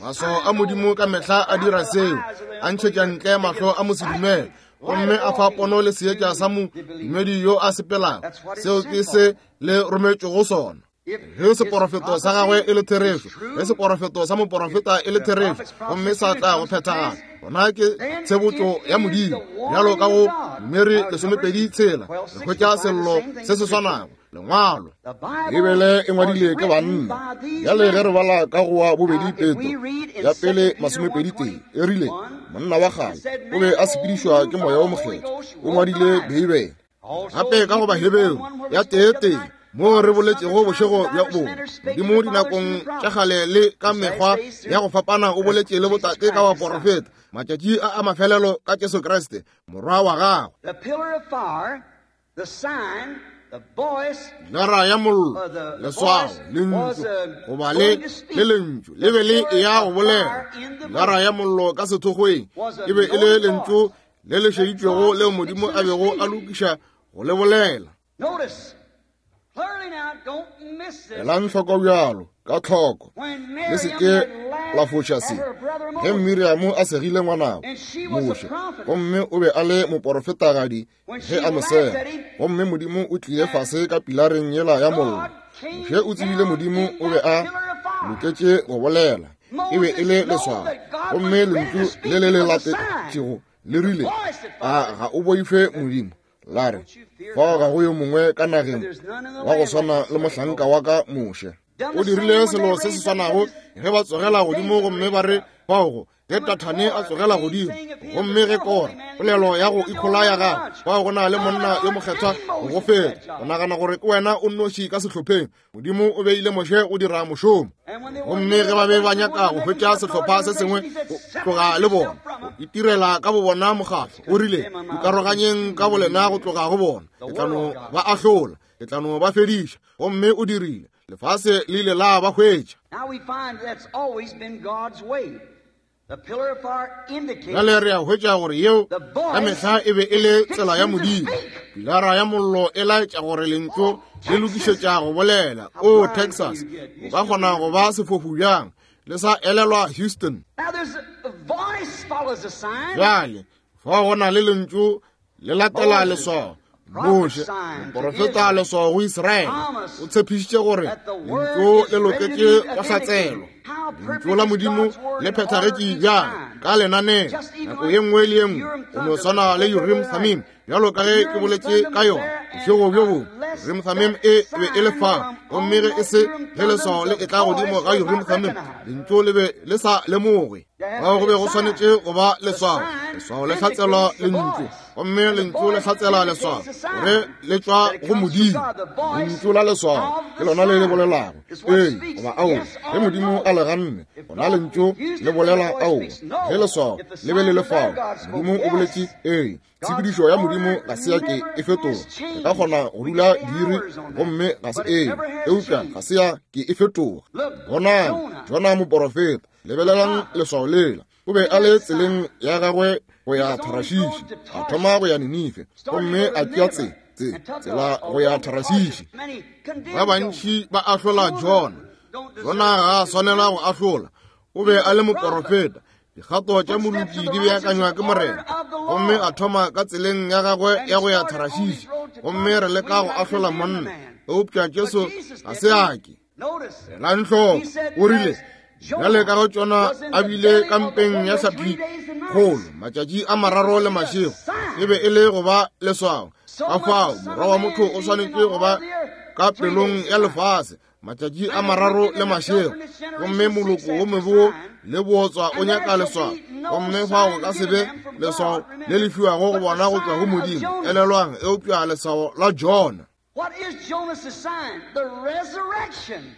Maswao a Modimo ka mehla a dira seo, a ntšhetša ntle mahlo a mosedumele, gomme a fa pono le seetša sa modumedi yo a sepelago. Seo ke se le rometšego sona. Ge seporofeto sa gagwe e le therešo, ge seporofeto sa moporofeta e le therešo, gomme sa tla go phethagala, gona ke tshebotšo ya Modimo. Bjalo ka go Numeri lesomepedi tshela, re hwetša sello se se swanago, lengwalo. Bibele e ngwadile ke banna. Bjale ge re bala ka go wa bobedi Petro ya pele masomepedi tee, e rile monna wa kgale o be a sepedišwa ke Moya o Mokgethwa, o ngwadile Beibele. Gape ka go Baheberu ya tee tee, moo re boletšego bošego bja bongwe, Modimo dinakong tša kgale le ka mekgwa ya go fapana o boletše le botate ka baporofeta, matšatši a a mafelelo ka Jesu Kriste morwa wa gagwe. Pilara ya mollo, leswao, lentšu, goba le le lentšu le be le eya go bolela. Pilara ya mollo ka sethokgweng e be e le lentšu le le šeditšwego leo Modimo a bego a lokiša go le bolela. Elang hloko bjalo ka tlhoko, le se ke la foša se. Ge Miriamo a segile ngwanabo Moshe, gomme o be a le moporofetagadi ge a mo sega, gomme Modimo o tlile fase ka pilareng yela ya mollo. Moshe o tsebile Modimo o be a loketše go bolela, e be e le leswao, gomme lentšu le le le latetšego le rile, a ga o boife Modimo? La re, fao ga go yo mongwe ka nageng wa go swana le mohlanka wa ka Moshe. O dirile selo se se swanago ge ba tsogela godimo gomme ba re fao ge Tathane a tsogela godimo, gomme ge Kora, polelo ya go ikhola ya gagwe, fao go na le monna yo mokgethwa go go feta, o nagana gore ke wena o nnoši ka sehlopheng. Modimo o beile Moshe go dira mošomo, gomme ge ba be ba nyaka go hwetša sehlopha se sengwe go tloga le bona, go itirela ka bobona mokgatlo, o rile, ikaroganyeng ka bolena go tloga go bona, ke tla no ba ahlola, ke tla no ba fediša. Gomme o dirile, lefase le ile la ba hwetša. Bjale re a hwetša gore yeo ka mehla e be e le tsela ya Modimo. Pilara ya mollo e laetša gore lentšu le lokišetša go bolela. O Texas, o ka kgona go ba sefofu bjang le sa elelwa Houston? Bjale fao go na le lentšu le latela leswao. Moshe, moporofeta leswao go Israele, o tshepišitše gore lentšu le loketše go hlatselwa. Lentšu la Modimo le phethagetše bjang ka lenaneo nako ye nngwe le ye nngwe, go no swana le Urim Thummim, bjalo ka ge ke boletše ka yona bošego bjo bongwe. Urim Thummim e be e le fao, gomme ge e se ge leswao le etla godimo ga Urim Thummim, lentšu le be le sa lemogwe. Fao go be go swanetše go ba leswao. Leswao le hlatselwa lentšu, gomme lentšu le hlatsela leswao gore le tšwa go Modimo. Lentšu la leswao ke lona le le bolelago ee goba aowa. Ge Modimo a le ganne, gona lentšu le bolela aowa. Ge leswao le be le le fao, Modimo o boletše ee. Tshepedišo ya Modimo ga se ya ke e fetoga. E ka kgona go dula diiri gomme ga se ee, eupša ga se ya ke e fetoga. Bonang Jona moporofeta, lebelelang leswao lela. O be a le tseleng ya gagwe go ya Tarashishi, a thoma go ya Ninife, gomme a tšea tsela. Tsela go ya Tarasisi. Ba bantši ba ahlola Jona. Jona ga a swanela go ahlola. O be a le moporofeta. Dikgato tša moloki di beakanywa ke Morena. Gomme a thoma ka tseleng ya gagwe ya go ya Tarasisi. Gomme re leka go ahlola monna. Eupša Jesu ga se a ke. Elang hloko, o rile, bjale ka go tšona a bile kampeng ya hlapi kgolo matšatši a mararo le mašego, e be e le go ba leswao. Ka fao morwa wa motho o swanetše go ba ka pelong ya lefase matšatši a mararo le mašego, gomme moloko wo mebe le bootswa o nyaka leswao, gomme fao go ka se be leswao le le fiwago go bona go tšwa go Modimo. Elelwang, eupša leswao la Jona. What is Jonas's sign? The resurrection.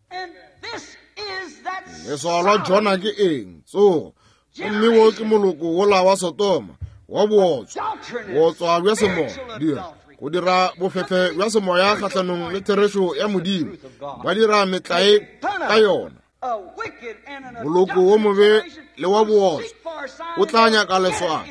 And this is that leswao la Jona ke eng? Tsogo. Gomme wo ke moloko wola wa Sodoma, wa bootswa, bootswa bja semoya, dira go dira bofefe bja semoya kgahlanong le therešo ya Modimo, ba dira metlae ka yona. Moloko wo mobe le wa bootswa o tla nyaka leswao,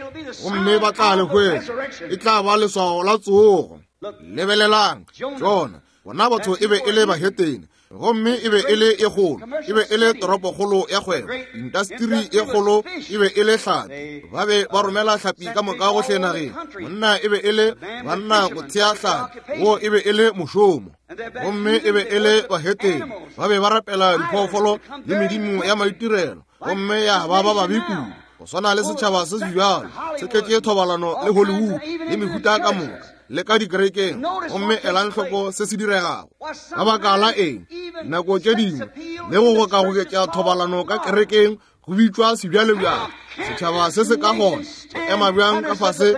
gomme ba tla le hwetša. E tla ba leswao la tsogo. Lebelelang Jona, bona batho e be e le bahetene, gomme e be e le e kgolo, e be e le toropokgolo ya kgwebo, intasteri e kgolo e be e le hlapi. Ba be ba romela hlapi ka moka gohle nageng. Monna e be e le banna go thea hlapi, wo e be e le mošomo. Gomme e be e le bahetene, ba be ba rapela diphoofolo le medimo ya maitirelo, gomme ya ba ba babe kudu. Go swana le setšhaba se se bjalo se tletše thobalano le Hollywood le mehuta ka moka le ka dikerekeng. Gomme elang hloko se se diregago. Ka baka la eng, nako tše dingwe le go gokagoketša thobalano ka kerekeng go bitšwa sebjalebjale. Setšhaba se se ka gona go ema bjang ka fase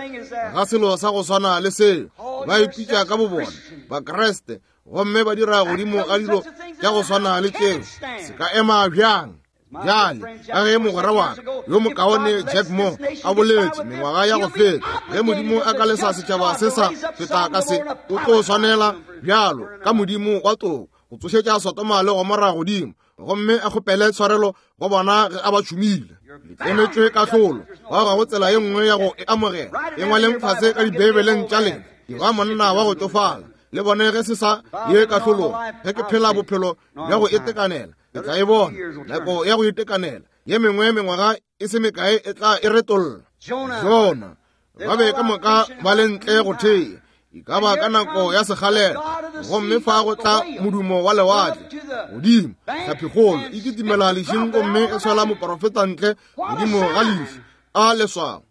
ga selo sa go swana le seo? Ba ipitša ka bobona Bakreste, gomme ba dira godimo ga dilo tša go swana le tšeo. Se ka ema bjang? Bjale, ka ge mogwera wa ka yo mokaone Jack Moore a boletše mengwaga ya go feta, ge Modimo a ka lesa setšhaba se sa feta ka se, o tlo swanela bjalo ka Modimo wa toko go tsošetša Sodoma le Gomora godimo, gomme a kgopele tshwarelo go bona ge a ba tšhumile. Le tlemetšwe kahlolo, ba ga go tsela ye nngwe ya go e amogela. E ngwaleng fase ka dibeibeleng tša lena. Ke ba monna wa go tšofala, le bone ge se sa ye kahlolong. Ge ke phela bophelo bja go itekanela, ke tla e bona nako ya go itekanela. Ye mengwe mengwaga e se mekae e tla e retolla. Jona, ba be ka moka ba le ntle go thea, e ka ba ka nako ya sekgalela, gomme fa go tla modumo wa lewatle godimo, hlapikgolo e kitimela lešing gomme e swela moporofeta ntle godimo ga leši a leswao.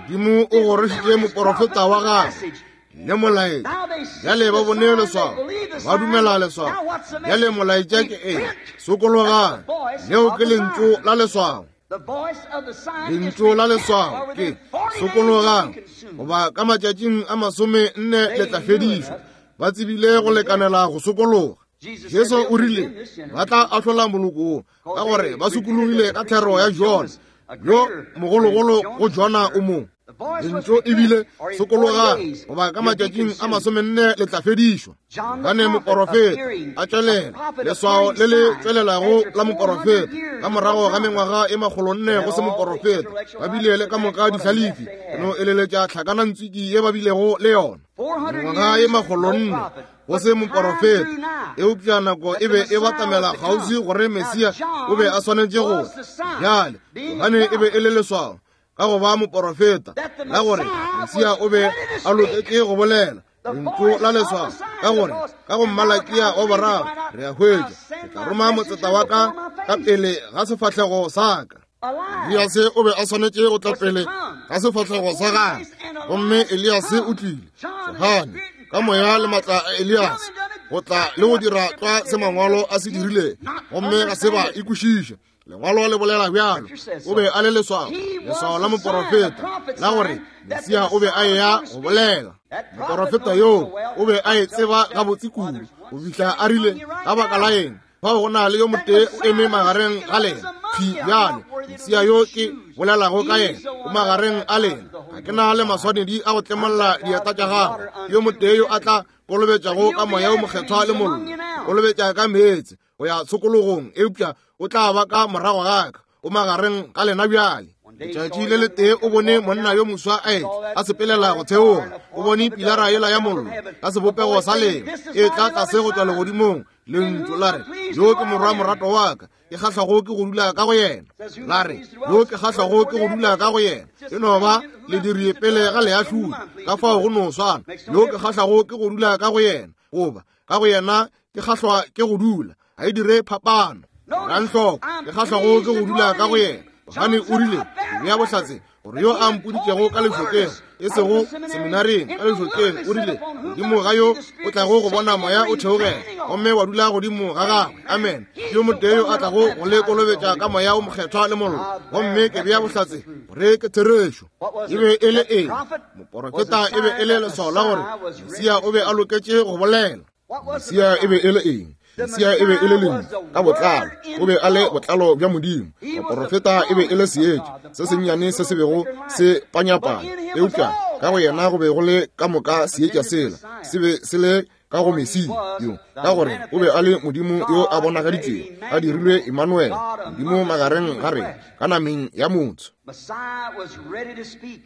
Modimo o gorošitše moporofeta wa gagwe le molaetša. Bjale ba bone leswao, ba dumela leswao. Bjale molaetša ke eng? Sokologang. Leo ke lentšu la leswao. Lentšu la leswao ke sokologang, goba ka matšatšing a masome nne le tla fedišwa. Ba tsebile go lekanela go sokologa. Jesu o rile ba tla ahlola moloko wo ka gore ba sokologile ka thero ya Jona, yo mogologolo go Jona o mo. Lentšu ebile sokologang, goba ka matšatšing a masomenne le tla fedišwa. Gane moporofeta a tšwelela, leswao le le tšwelelago la moporofeta ka morago ga mengwaga e makgolonne go se moporofeta. Ba bile le ka moka dihlalefi, ke no eleletša tlhakanantswiki ye ba bilego le yona. Mengwaga e makgolonne go se moporofeta, eupša nako e be e batamela kgauswi gore Mesia o be a swanetše go tla. Bjale Johane e be e le leswao ka go ba moporofeta la gore Mesia o be a loketše go bolela lentšu la leswao, ka gore ka go Mmalakia wa boraro re a hwetša, ke tla roma motseta wa ka ka pele ga sefahlego sa ka. Eliase o be a swanetše go tla pele ga sefahlego sa gagwe, gomme Eliase o tlile. Johane ka moya le matla a Eliase go tla le go dira tlwa se mangwalo a se dirile, gomme ga se ba ikwešiša. Lengwalo le bolela bjalo. O be a le leswao, leswao la moporofeta la gore Mesia o be a eya go bolela. Moporofeta yoo o be a e tseba gabotse kudu go fihla a rile, ka baka la eng fao go na le yo motee o eme magareng ga lena? Phi bjale Mesia yo ke bolelago ka yena o magareng a lena. Ga ke na le maswanedi a go tlemolla dieta tša gagwe. Yo motee yo a tla kolobetšago ka moya o mokgethwa le mollo, kolobetša ka meetse go ya tshokologong, eupša o tla ba ka morago ga ka, o magareng ga lena bjale. Letšatši le letee o bone monna yo moswa a etla a sepelela go theoga. O bone pilara yela ya mollo ka sebopego sa leba e tla tlase go tšwa legodimong. Lentšu la re, yo ke morwa morato wa ka, ke kgahlago ke go dula ka go yena. La re, yo ke kgahlago ke go dula ka go yena. E no ba lediri pele ga leahlodi, ka fao go no swana. Yo ke kgahlago ke go dula ka go yena, goba ka go yena ke kgahlwa ke go dula. Ga e dire phapano. Ranhloko, ke kgahlago ke go dula ka go yena. Johane o rile, bea bohlatse gore yo a mpoditšego ka lešokeng, e sego seminareng, ka lešokeng, o rile, godimo ga yo o tlago go bona moya o theogela gomme wa dula godimo ga gagwe. Amen. Ke yo motee yo a tlago go le kolobetša ka moya o mokgethwa le mollo, gomme ke bea bohlatse gore ke therešo. E be e le eng? Moporofeta e be e le leswao la gore Mesia o be a loketše go bolela. Mesia e be e le eng? Mesia e be e le lentšu ka botlalo. O be a le botlalo bja Modimo. Moporofeta e be e le seetša se sennyane se se bego se panyapanya, eupša ka go yena go be go le ka moka seetša sela se be se le ka go Mesia yo, ka gore o be a le Modimo yo a bonagaditšwego, a dirilwe Emmanuel, Modimo magareng ga rena ka nameng ya motho.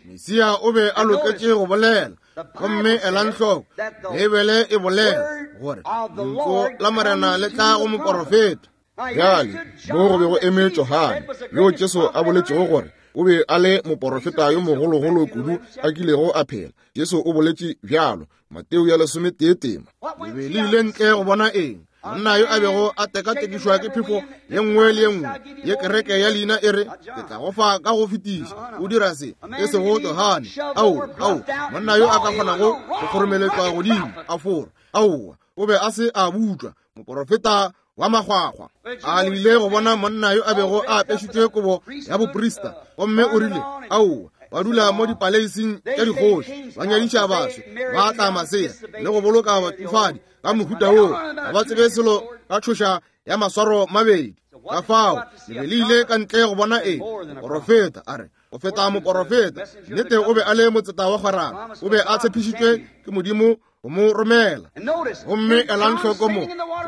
Mesia o be a loketše go bolela. Gomme elang hloko, Beibele e bolela gore lentšu la Morena le tla go moporofeta. Bjale mo go be go eme Johane, yo Jesu a boletšego gore o be a le moporofeta yo mogologolo kudu a kilego a phela. Jesu o boletše bjalo, Mateo ya lesometee tema. Le be le ile ntle go bona eng? Monna yo a bego a tekatekišwa ke phefo ye nngwe le ye nngwe ye kereke ya leina e re, ke tla go fa ka go fetiša, o dira se, e sego Johane. Ao, ao, monna yo a ka kgonago go kgoromeletšwa godimo a fora. Aowa, o be a se a butšwa, moporofeta wa makgwakgwa. A le ile go bona monna yo a bego a apešitšwe kobo ya boprista, gomme o rile, aowa, ba dula mo dipaleising tša dikgoši, ba nyadiša baswe, ba tla masea le go boloka batšofadi ka mohuta woo, ga ba tsebe selo ka tšhoša ya maswaro mabedi. Ka fao le be le ile ka ntle go bona eng? Moporofeta. A re, go feta moporofeta. Nnete o be a le motseta wa kgwerano, o be a tshepišitšwe ke Modimo go mo romela. Gomme elang hloko mo,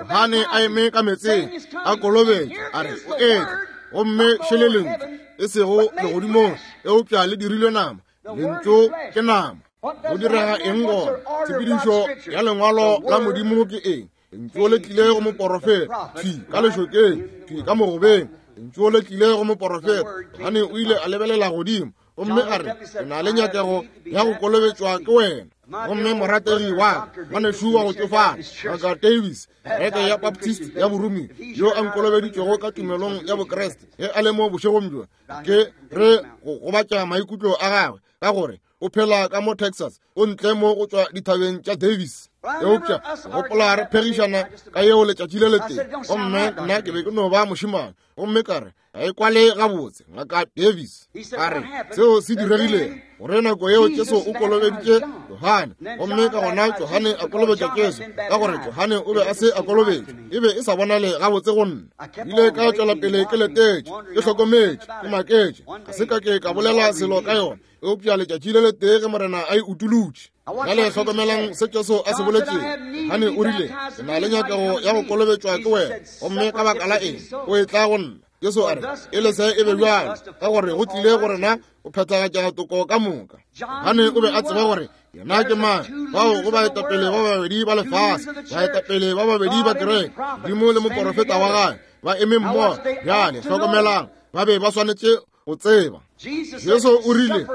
Johane a eme ka metseng a kolobetša, a re, o etla, gomme šele lentšu, e sego legodimong, eupša le dirilwe nama. Lentšu ke nama. Go direga eng gona? Tshepedišo ya lengwalo la Modimo ke eng? Lentšu le tlile go moporofeta, thwi ka lešokeng, thwi ka mogobeng. Lentšu le tlile go moporofeta. Johane o ile a lebelela godimo gomme a re, ke na le nyakego ya go kolobetšwa ke wena. Gomme morategi wa ka, ngwanešu wa go tšofala, Ngaka Davis, kereke ya Baptist ya Borumi, yo a nkolobeditšwego ka tumelong ya Bokreste, ge a le mo bošegong bjo, ke re go gobatša maikutlo a gagwe, ka gore o phela ka mo Texas, o ntle mo go tšwa dithabeng tša Davis. Eupša gopola re phegišana ka yeo letšatši le letee, gomme nna ke be ke no ba mošemane, gomme ka re, ga e kwale gabotse, Ngaka Davis. A re, seo se diregile gore nako yeo Jesu o kolobeditše Johane, gomme ka gona Johane a kolobetša Jesu, ka gore Johane o be a se a kolobetšwa. E be e sa bonale gabotse go nna. Ile ka tšwela pele ke letetše, ke hlokometše, ke maketše, ga se ka ke ka bolela selo ka yona, eupša letšatši le letee ge Morena a e utolotše. Bjale hlokomelang se Jesu a se boletšego. Johane o rile, ke na le nyakego ya go kolobetšwa ke wena, gomme ka baka la eng o etla go nna? Jesu a re, e le se e be bjalo, ka gore go tlile go rena go phethagatša toko ka moka. Johane o be a tseba gore yena ke mang. Bao go baetapele ba babedi ba lefase, baetapele ba babedi ba kereke, Modimo le moporofeta wa gagwe, ba eme mmogo. Bjale hlokomelang, ba be ba swanetše go tseba. Jesu o rile,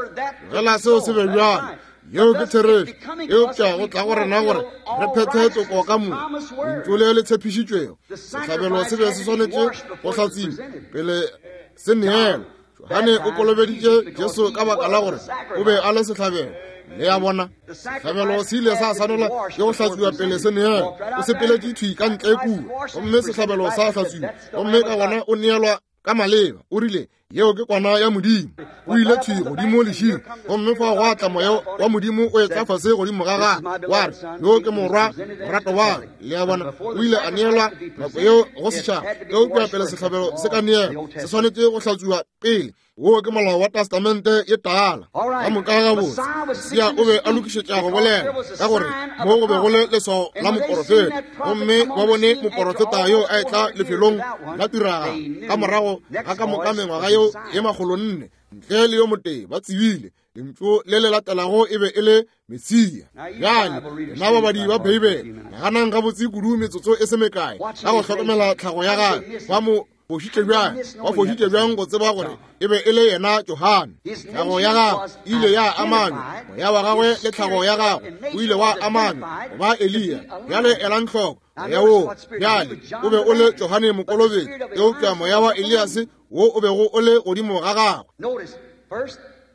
tlogela seo se be bjalo. Yeo ke therešo, eupša go tla go rena gore re phethe toko ka moka. Lentšu le le tshepišitšwego, sehlabelo se be se swanetše go hlatsiwa pele se neelwa. Johane o kolobeditše Jesu ka baka la gore o be a le sehlabelo. Le a bona, sehlabelo se ile sa swanelwa ke go hlatsiwa pele se neelwa. O sepeletše thwi ka ntle kua, gomme sehlabelo sa hlatsiwa, gomme ka gona o neelwa ka maleba. O rile, yeo ke kwana ya Modimo. O ile thwi godimo lešing, gomme fa gwa tla moya wa Modimo o etla fase godimo ga gagwe, wa re, yo ke morwa morato wa. Le a bona, o ile a neelwa nako yeo go setšhaba, eupša pele sehlabelo se ka neelwa, se swanetše go hlatswiwa pele. Wo ke molao wa Testamente ye tala. Ka moka gabotse, Mesia o be a lokišetša go bolela, ka gore mo go be go le leswao la moporofeta, gomme ba bone moporofeta yo a etla lefelong la tiragalo ka morago ga ka moka mengwaga yeo ye makgolo nne. Ntle le yo motee ba tsebile lentšu le le latelago e be e le Mesia. Bjale lena babadi ba Beibele, naganang gabotse kudu metsotso e se mekae ka go hlokomela tlhago ya gagwe. Ba mo fošitše bjang? Ba fošitše bjang go tseba gore e be e le yena Johane? Tlhago ya gagwe e ile ya amanywa, moya wa gagwe le tlhago ya gagwe o ile wa amanywa go ba Eliya. Bjale elang hloko moya woo bjale o be o le Johane Mokolobetši, eupša moya wa Eliase wo o bego o le godimo ga gagwe.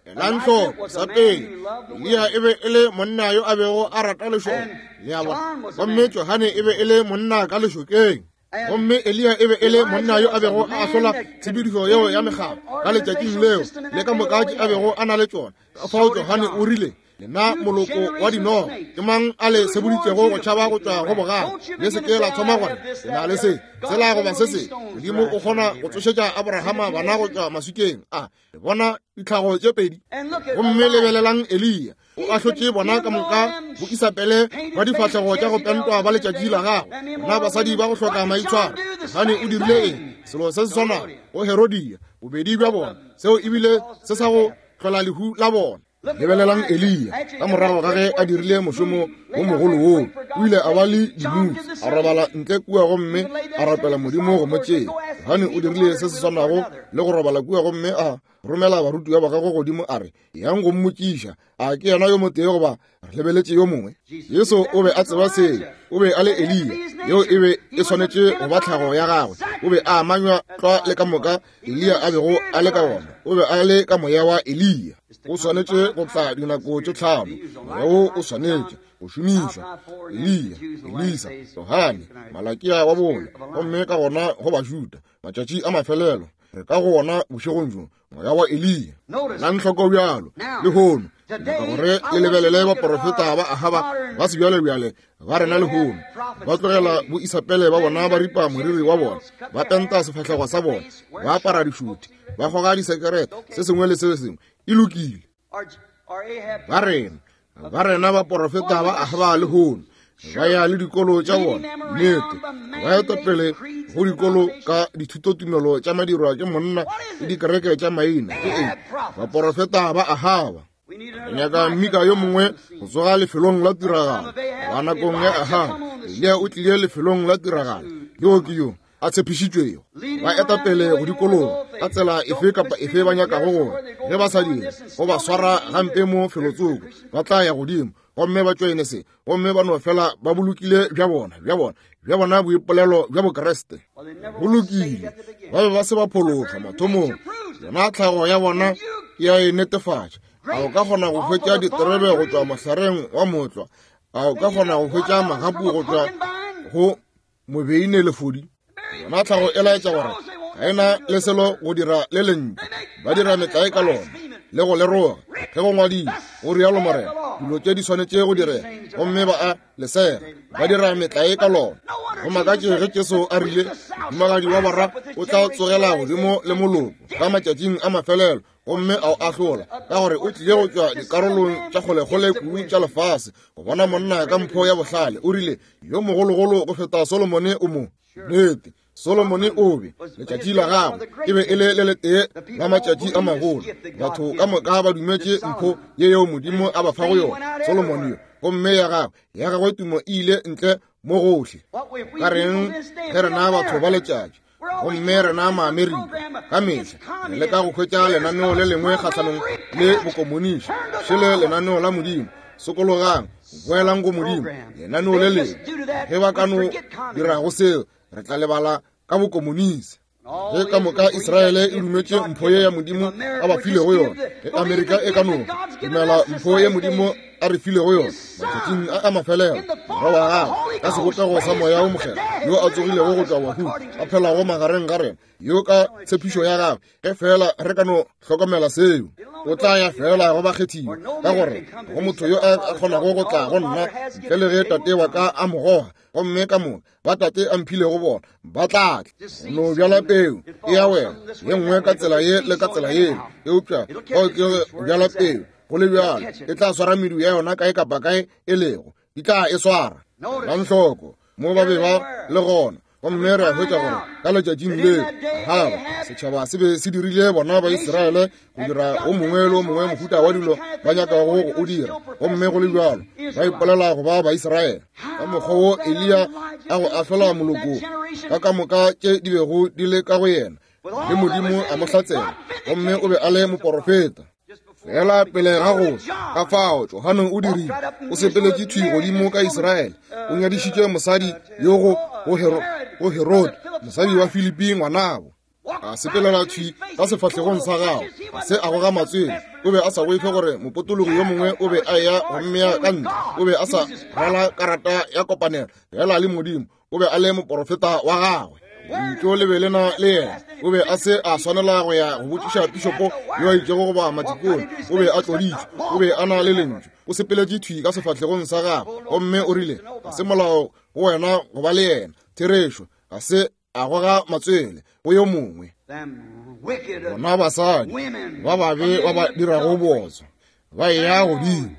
Elang hloko, sa pele, Eliya e be e le monna yo a bego a rata lešoka, le a bona, gomme Johane e be e le monna ka lešokeng. Gomme Eliya e be e le monna yo a bego a ahlola tshepedišo yeo ya mekgatlo ka letšatšing leo le ka moka tše a bego a na le tšona. Ka fao Johane o rile, lena moloko wa dinoga, ke mang a le seboditšego go tšhaba go tšwa go bogale? Le se ke la thoma gore le na le se sela goba se se. Modimo o kgona go tsošetša Abrahama bana go tšwa maswikeng a. Le bona ditlhago tše pedi. Gomme lebelelang Eliya, o ahlotše bona ka moka bo Isabele ba difahlego tša go pentwa ba letšatši la gagwe, bona basadi ba go hloka maitshwaro. Johane o dirile eng? Selo se se swanago go Herodia, bobedi bja bona. Seo ebile se sa go hlola lehu la bona. Lebelelang Eliya, ka morago ga ge a dirile mošomo wo mogolo woo, o ile a ba le dimutsi, a robala ntle kua gomme a rapela Modimo go mo tšea. Johane o dirile se se swanago le go robala kua gomme a romela barutiwa ba gagwe godimo a re, yang go mmotšiša, a ke yena yo motee goba re lebeletše yo mongwe? Jesu o be a tseba seo, o be a le Eliya, yeo e be e swanetše go ba tlhago ya gagwe. O be a amanywa tlwa le ka moka Eliya a bego a le ka wona, o be a le ka moya wa Eliya. O swanetše go tla dinako tše tlhano, moya wo o swanetše go šomišwa: Eliya, Elisa, Johane, Malakia wa bone, gomme ka gona go Bajuda. Matšatši a mafelelo re ka go ona bošegong bjo, moya wa Eliya. Elang hloko bjalo lehono, nyaka gore le lebelele baporofeta ba Ahaba ba sebjalebjale ba rena lehono. Ba tlogela bo Isabele ba bona ba ripa moriri wa bona, ba penta sefahlego sa bona, ba apara dišuti, ba goga disekerete, se sengwe le se sengwe e lokile. Ba rena ba rena baporofeta ba Ahaba lehono ba ya le dikolo tša bona, nnete, ba eta pele go dikolo ka dithutotumelo tša madirwa ke monna le dikereke tša maina. Ke eng? Baporofeta ba Ahaba. Re nyaka mmika yo mongwe go tsoga lefelong la tiragalo. Ba nakong ya Ahaba, Eliya o tlile lefelong la tiragalo. Yo ke yo a tshepišitšwego. Ba eta pele go dikologa ka tsela efe kapa efe ba nyakago gore ge ba sa dire go ba swara gampe mo felotsoko, ba tla ya godimo gomme ba tšoene se, gomme ba no fela ba bolokile bja bona bja bona bja bona boipolelo bja Bokreste. Bolokile, ba be ba se ba phologa mathomong. Yona tlhago ya bona ya e netefatša. A o ka kgona go hwetša diterebe go tšwa mohlareng wa motlwa? A o ka kgona go hwetša magapu go tšwa go mobeine lefodi? Yona tlhago e laetša gore ga e na le selo go dira le lentšu. Ba dira metlae ka lona le go le roga. Ge go ngwadile, go rialo Morena, dilo tše di swanetše go direga, gomme ba a lesega, ba dira metlae ka lona. Go makatše ge Jesu a rile, mohumagadi wa bara o tla tsogela godimo le moloko ka matšatšing a mafelelo, gomme a o ahlola, ka gore o tlile go tšwa dikarolong tša kgolekgole kudu tša lefase go bona monna ka mpho ya bohlale. O rile, yo mogologolo go feta Solomone o mo. Nnete, Solomone o be letšatši la gagwe e be e le le letee la matšatši a magolo. Batho ka moka ba dumetše mpho ye yeo Modimo a ba fago yona, Solomone yo, gomme ya gagwe ya gagwe tumo e ile ntle mo gohle. Ka reng ge rena batho ba letšatši, gomme rena Maamerika ka mehla re leka go hwetša lenaneo le lengwe kgahlanong le bokomonisi, šele lenaneo la Modimo. Sokologang, boelang go Modimo, lenaneo le lengwe. Ge ba ka no dirago seo, re tla lebala ka bokomonisi. Ge ka moka Israele e dumetše mpho ye ya Modimo a ba filego yona, ge Amerika e ka no dumela mpho ye Modimo a re filego yona matšatšing a a mafelelo, morwa wa gagwe ka sebopego sa moya wo mokgethwa yo a tsogilego go tšwa bahung, a phelago magareng ga rena, yo ka tshepišo ya gagwe, ge fela re ka no hlokomela seo, o tla ya fela go bakgethiwa, ka gore go motho yo a kgonago go tla go nna ntle le ge tate wa ka a mo goga, gomme ka moka ba tate a mphilego bona ba tla tla. No bjala peu e ya wela ye nngwe ka tsela ye le ka tsela ye, eupša bao ke bjala peu go le bjalo e tla swara medu ya yona kae kapa kae e lego, di tla e swara. Elang hloko mo ba be ba le gona, Gomme re a hwetša gore ka letšatšing leo Ahaba setšhaba se be se dirile bona ba Israele go dira o mongwe le o mongwe mohuta wa dilo ba nyakago go o dira, gomme go le bjalo ba ipolela go ba Baisraele. Ka mokgwa wo Eliya a go ahlola moloko ka ka moka tše di bego di le ka go yena, le Modimo a mo hlatsela, gomme o be a le moporofeta. Fela pele ga go ka fao Johane o dirile, o sepeletše thwi godimo ka Israele, o nyadišitše mosadi yo go go Herode, mosadi wa Filipi ngwanabo. A sepelela thwi ka sefahlegong sa gagwe, a se a goga matswele. O be a sa boife gore mopotologi yo mongwe o be a eya go mmea ka ntle. O be a sa rwala karata ya kopanelo fela le Modimo, o be a le moporofeta wa gagwe. Lentšu le be le na le yena. O be a se a swanela go ya go botšiša pišopo yo a itšego goba matikone. O be a tloditšwe, o be a na le lentšu. O sepeletše thwi ka sefahlegong sa gagwe, gomme o rile, ga se molao go wena go ba le yena. Therešo, ga se a goga matswele go yo mongwe. Bona basadi ba babe ba ba dirago botswa ba eya godimo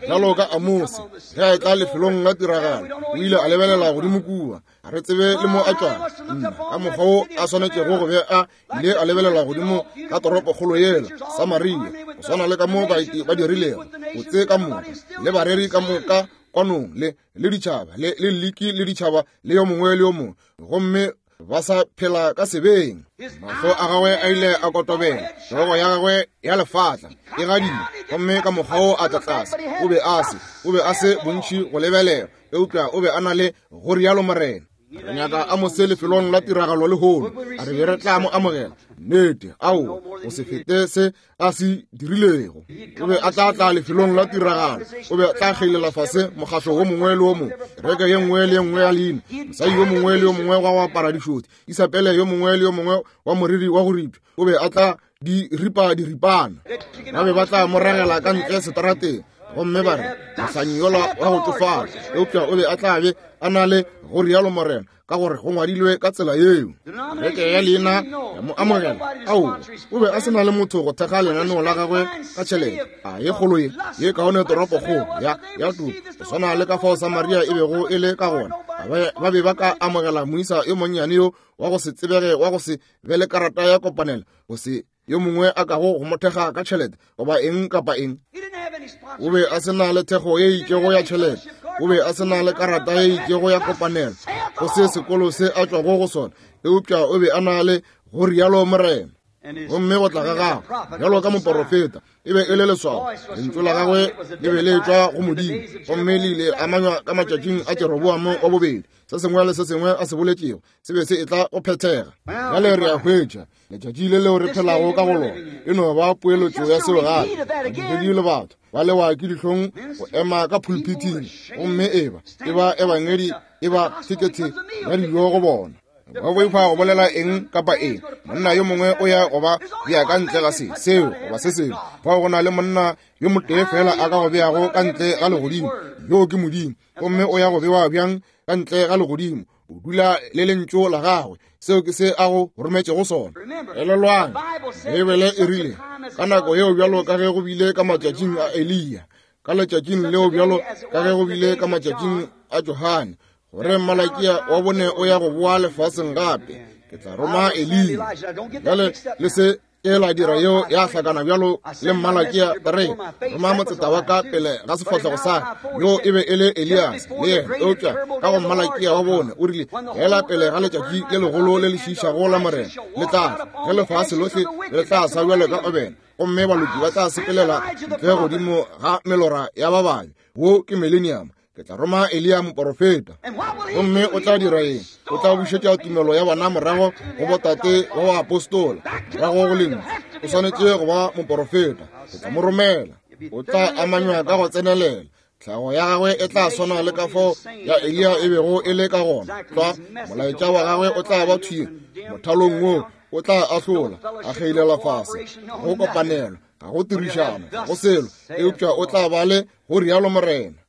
bjalo ka Amose ge a etla lefelong la tiragalo, o ile a lebelela godimo kua, a re tsebe le mo a tšwago. Nna ka mokgwa wo a swanetšego go be a ile a lebelela godimo ka toropokgolo yela Samaria, go swana le ka mo baeti ba dirilego botse ka moka le bareri ka moka kwanong le le ditšhaba le le liki le ditšhaba le yo mongwe le yo mongwe, gomme ba sa phela ka sebeng. Mahlo a gagwe a ile a kotobela, hlogo ya gagwe ya lefatla e gadile, gomme ka mokgwa wo a tla tlase. O be a se o be a se bontši go lebelela, eupša o be a na le go rialo Morena. Re nyaka Amose lefelong la tiragalo lehono, a re be re tla mo amogela. Nnete, ao, go se fete se a se dirilego. O be a tla tla lefelong la tiragalo, o be a tla kgeilela fase mokgahlo wo mongwe le wo mongwe, kereke ye nngwe le ye nngwe ya leina, mosadi yo mongwe le yo mongwe wa go apara dišothi, Isabele yo mongwe le yo mongwe wa moriri wa go ripša, o be a tla di ripa diripana. Ba be ba tla mo ragela ka ntle seterateng, gomme ba re mohlanyi yola wa go tsofala, eupša o be a tla be a na le go rialo Morena, ka gore go ngwadilwe ka tsela yeo. Kereke ya leina ya mo amogela. Ao, o be a se na le motho go thekga lenaneo la gagwe ka tšhelete. A ye kgolo ye ye kaone toropokgolo ya ya tulo, go swana le ka fao Samaria e bego e le ka gona. Ba be ba ka amogela moisa yo monnyane yo wa go se tsebege, wa go se be le karata ya kopanelo, go se yo mongwe a kago go mo thekga ka tšhelete goba eng kapa eng. O be a se na le thekgo ye itšego ya tšhelete, o be a se na le karata ye itšego ya kopanelo go se sekolo se a tšwago go sona, eupša o be a na le go rialo Morena. Gomme go tla ga gagwe bjalo ka moporofeta e be e le leswao. Lentšu la gagwe le be le tšwa go Modimo, gomme le ile amanywa ka matšatšing a Jeroboamo wa bobedi. Se sengwe le se sengwe a se boletšego se be se etla go phethega. Bjale re a hwetša letšatši le leo re phelago ka go lona e no ba poeletšo ya seo gape. Badumedi le batho ba lewa ke dihlong go ema ka pulpiting, gomme e ba e ba ebangedi e ba thekethe ya dijo go bona. Ba boifa go bolela eng kapa eng. Monna yo mongwe o ya go ba bea ka ntle ga se seo goba se sengwe. Fao go na le monna yo motee fela a ka go beago ka ntle ga legodimo, yoo ke Modimo. Gomme o ya go bewa bjang ka ntle ga legodimo? O dula le lentšu la gagwe, seo ke se a go rometšego sona. Elelwang, Beibele e rile ka nako yeo bjalo ka ge go bile ka matšatšing a Eliya, ka letšatšing leo bjalo ka ge go bile ka matšatšing a Johane, gore Malakia wa bone o ya go boa lefaseng gape. Ke tla roma Eliya. Bjale le se ke la dira yeo ya hlakana bjalo le Malakia, re roma motseta wa ka pele ga sefahlego sa ka, yo e be e le Elias le yena. Eupša ka go Malakia wa bone o rile, fela pele ga letšatši le legolo le le šiišago la Morena le tla tla, ge lefase lohle le tla sa bjalo ka obene, gomme baloki ba tla sepelela ntle godimo ga melora ya ba babe. Wo ke millennium. Ke tla roma Eliya moporofeta. Gomme o tla dira eng? O tla bušetša tumelo ya bona morago go botate wa baapostola, morago go lentšu. O swanetše go ba moporofeta. Ke tla mo romela. O tla amanywa ka go tsenelela. Tlhago ya gagwe e tla swana le ka fao ya Eliya e bego e le ka gona. Tlwa molaetša wa gagwe o tla ba thwi mothalong wo, o tla ahlola, a kgeilela fase, go kopanelo, ga go tirišano, ga go selo, eupša o tla ba le go rialo Morena.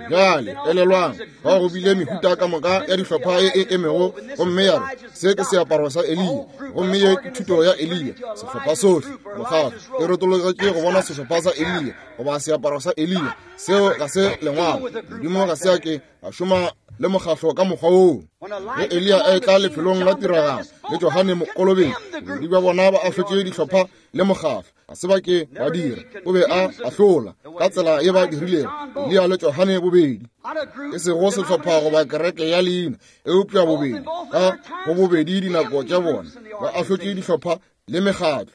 Bjale elelwang, bao go bile mehuta ka moka ya dihlopha e e emego, gomme ya re se ke seaparo sa Eliya, gomme ye ke thuto ya Eliya. Sehlopha sohle mokgatlo e retologetše go bona sehlopha sa Eliya goba seaparo sa Eliya. Seo ga se lengwalo. Modimo ga se a ke a šoma le mokgahlo ka mokgwa woo. Ge Eliya a etla lefelong la tiragalo le Johane Mokolobetši, bobedi bja bona ba ahlotše dihlopha le mokgahlo, ga se ba ke ba dira. O be a ahlola ka tsela ye ba dirilego Eliya le Johane bobedi, e sego sehlopha goba kereke ya leina, eupša bobedi ka go bobedi dinako tša bona ba ahlotše dihlopha le mekgatlo.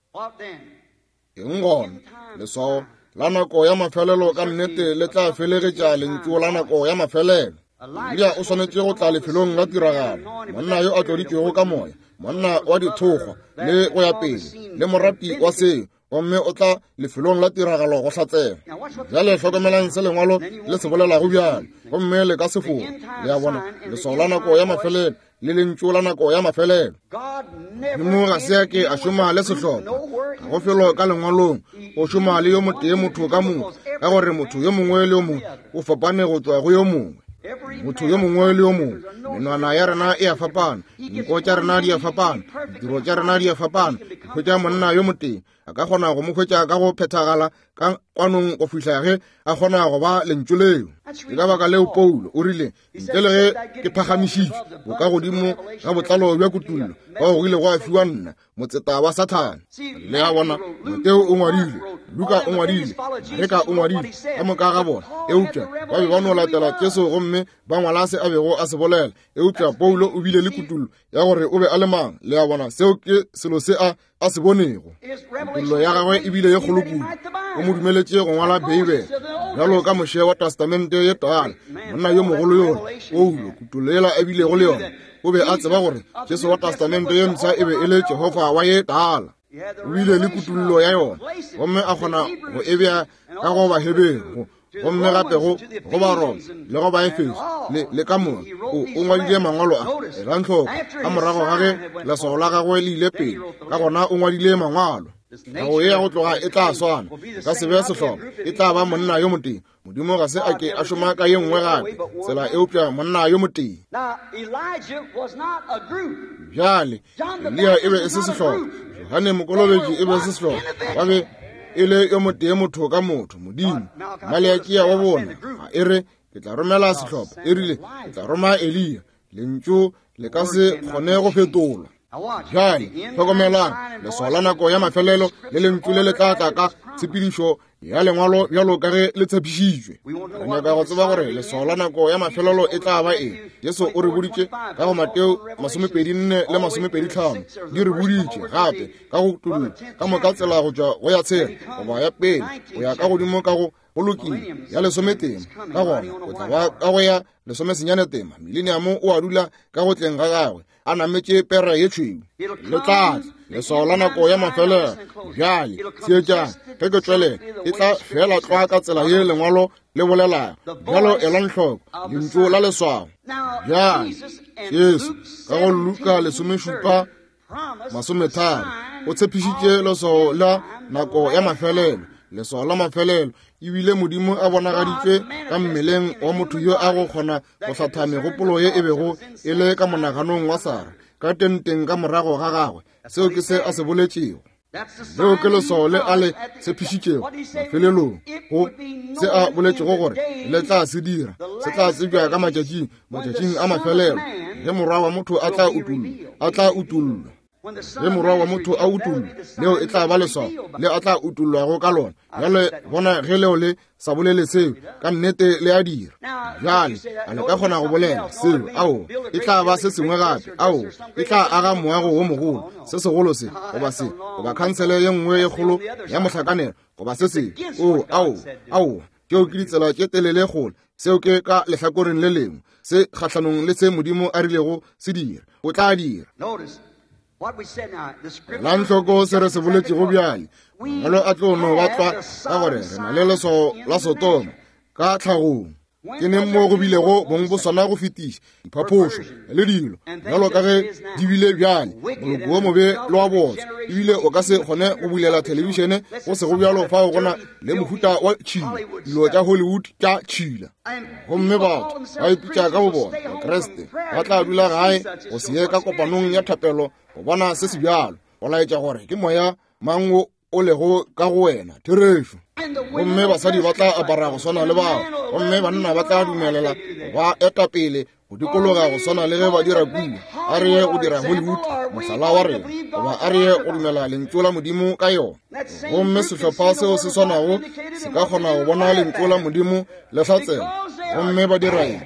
Eng gona? Leswao la nako ya mafelelo ka nnete le tla felegetša lentšu la nako ya mafelelo. Eliya o swanetše go tla lefelong la tiragalo, monna yo a tloditšwego ka moya, monna wa dithokgwa le go ya pele, le morati wa seo, gomme o tla lefelong la tiragalo go hlatsela. Bjale hlokomelang se lengwalo le se bolelago bjale, gomme le ka se fora. Le a bona, leswao la nako ya mafelelo le lentšu la nako ya mafelelo. Modimo ga se a ke a šoma le sehlopha, ga go felo ka lengwalong. O šoma le yo motee motho ka motho, ka gore motho yo mongwe le yo mongwe o fapane go tšwa go yo mongwe. Motho yo mongwe le yo mongwe, menwana ya rena e a fapana, dinko tša rena di a fapana, ditiro tša rena di a fapana. Hwetša monna yo motee, a ka kgona go mo hwetša ka go phethagala ka kwanong go fihla ge a kgona go ba lentšu leo. Ke ka baka leo Paulo o rile, ntle le ge ke phagamišitšwe bo ka godimo ga botlalo bja kutullo, bao go ile gwa fiwa nna motseta wa Sathane. Le a bona, Mateo o ngwadile, Luka o ngwadile, Mareka o ngwadile, ka moka ga bona, eupša ba be ba no latela Jesu gomme ba ngwala se a bego a se bolela. Eupša Paulo o bile le kutullo ya gore o be a le mang. Le a bona, seo ke selo se a a se bonego. Kutullo ya gagwe e bile ye kgolo kudu, o mo dumeletše go ngwala Beibele bjalo ka Moshe wa Testamente ye Tala, monna yo mogolo yola. Paulo, kutullo yela a bilego le yona, o be a tseba gore Jesu wa Testamente ye mpsha e be e le Jehofa wa ye Tala. O bile le kutullo ya yona, gomme a kgona go e bea ka go Baheberu, gomme gape go go Baroma le go Baefeso le le ka moka. O o ngwadile mangwalo a. Elang hloko, ka morago ga ge leswao la gagwe le ile pele, ka gona o ngwadile mangwalo. Nako ye ya go tloga e tla swana, e ka se be sehlopha, e tla ba monna yo motee. Modimo ga se a ke a šoma ka ye nngwe gape tsela, eupša monna yo motee. Bjale Eliya e be e se sehlopha, Johane Mokolobetši e be e se sehlopha, ba be e le yo motee motho ka motho. Modimo Maleakia wa bona ga e re ke tla romela sehlopha, e rile ke tla roma Eliya. Lentšu le ka se kgone go fetolwa. Bjale hlokomelang, leswao la nako ya mafelelo le lentšu le le tla tla ka tshepedišo ya lengwalo bjalo ka ge le tshepišitšwe. Re nyaka go tseba gore leswao la nako ya mafelelo e tla ba eng. Jesu o re boditše ka go Mateo masomepedi nne le masomepedi tlhano, di re boditše gape ka go kutullo ka moka tsela go tšwa go ya tshela goba ya pele go ya ka godimo ka go go lokile ya lesometema, ka gona o tla ba ka go ya lesomesenyane tema. Mileniamo o a dula ka go tleng ga gagwe a nametše pere ye tšhweu. Le tla tla leswao la nako ya mafelelo. Bjale theetšang ge ke tšwelela, e tla fela tlwa ka tsela ye lengwalo le bolelago. Bjalo elang hloko lentšu la leswao. Bjale Jesu ka go Luka lesomešupa masometharo o tshepišitše leswao la nako ya mafelelo, leswao la mafelelo. Ebile Modimo a bonagaditšwe ka mmeleng wa motho yo a go kgona go hlatha megopolo ye e bego e le ka monaganong wa Sara ka tenteng ka morago ga gagwe. Seo ke se a se boletšego. Leo ke leswao le a le tshepišitšego mafelelong, go se a boletšego gore le tla se dira, se tla tsebja ka matšatšing, matšatšing a mafelelo, ge morwa wa motho a tla utollwa, a tla utollwa. Ge morwa wa motho a utollwa, leo e tla ba leswao le a tla utollwago ka lona. Bjale bona ge leo le sa bolele seo, ka nnete le a dira. Bjale a le ka kgona go bolela seo? Ao, e tla ba se sengwe gape. Ao, e tla aga moago wo mogolo, se segolo se goba se, goba khansele ye nngwe ye kgolo ya mohlakanelo goba se sengwe. O, ao, ao, tšeo ke ditsela tše telele kgole. Seo ke ka lehlakoreng le lengwe, se kgahlanong le se Modimo a rilego se dira. O tla dira. Elang hloko se re se boletšego bjale. Mangwalo a tlo no ba tlwa ka gore re na le leswao la Sodoma ka tlhagong. Ke neng mo go bilego bong bo swana go fetiša diphaphošo le dilo bjalo ka ge di bile bjale, moloko wo mobe le wa botswa. Ebile o ka se kgone go bulela thelebišene go sego bjalo fao go na le mohuta wa tšhila, dilo tša Hollywood tša tšhila. Gomme batho ba ipitša ka bo bona Bakriste, ba tla dula gae go se ye ka kopanong ya thapelo go bona se se bjalo, go laetša gore ke moya mang wo o lego ka go wena, therešo. Gomme basadi ba tla apara go swana le bao, gomme banna ba tla dumelela ba eta pele go dikologa go swana le ge ba dira kua. A re ye go dira Hollywood mohlala wa rena, goba a re ye go dumela lentšu la Modimo ka yona. Gomme sehlopha seo se swanago se ka kgona go bona lentšu la Modimo le hlatsela, gomme ba dira eng?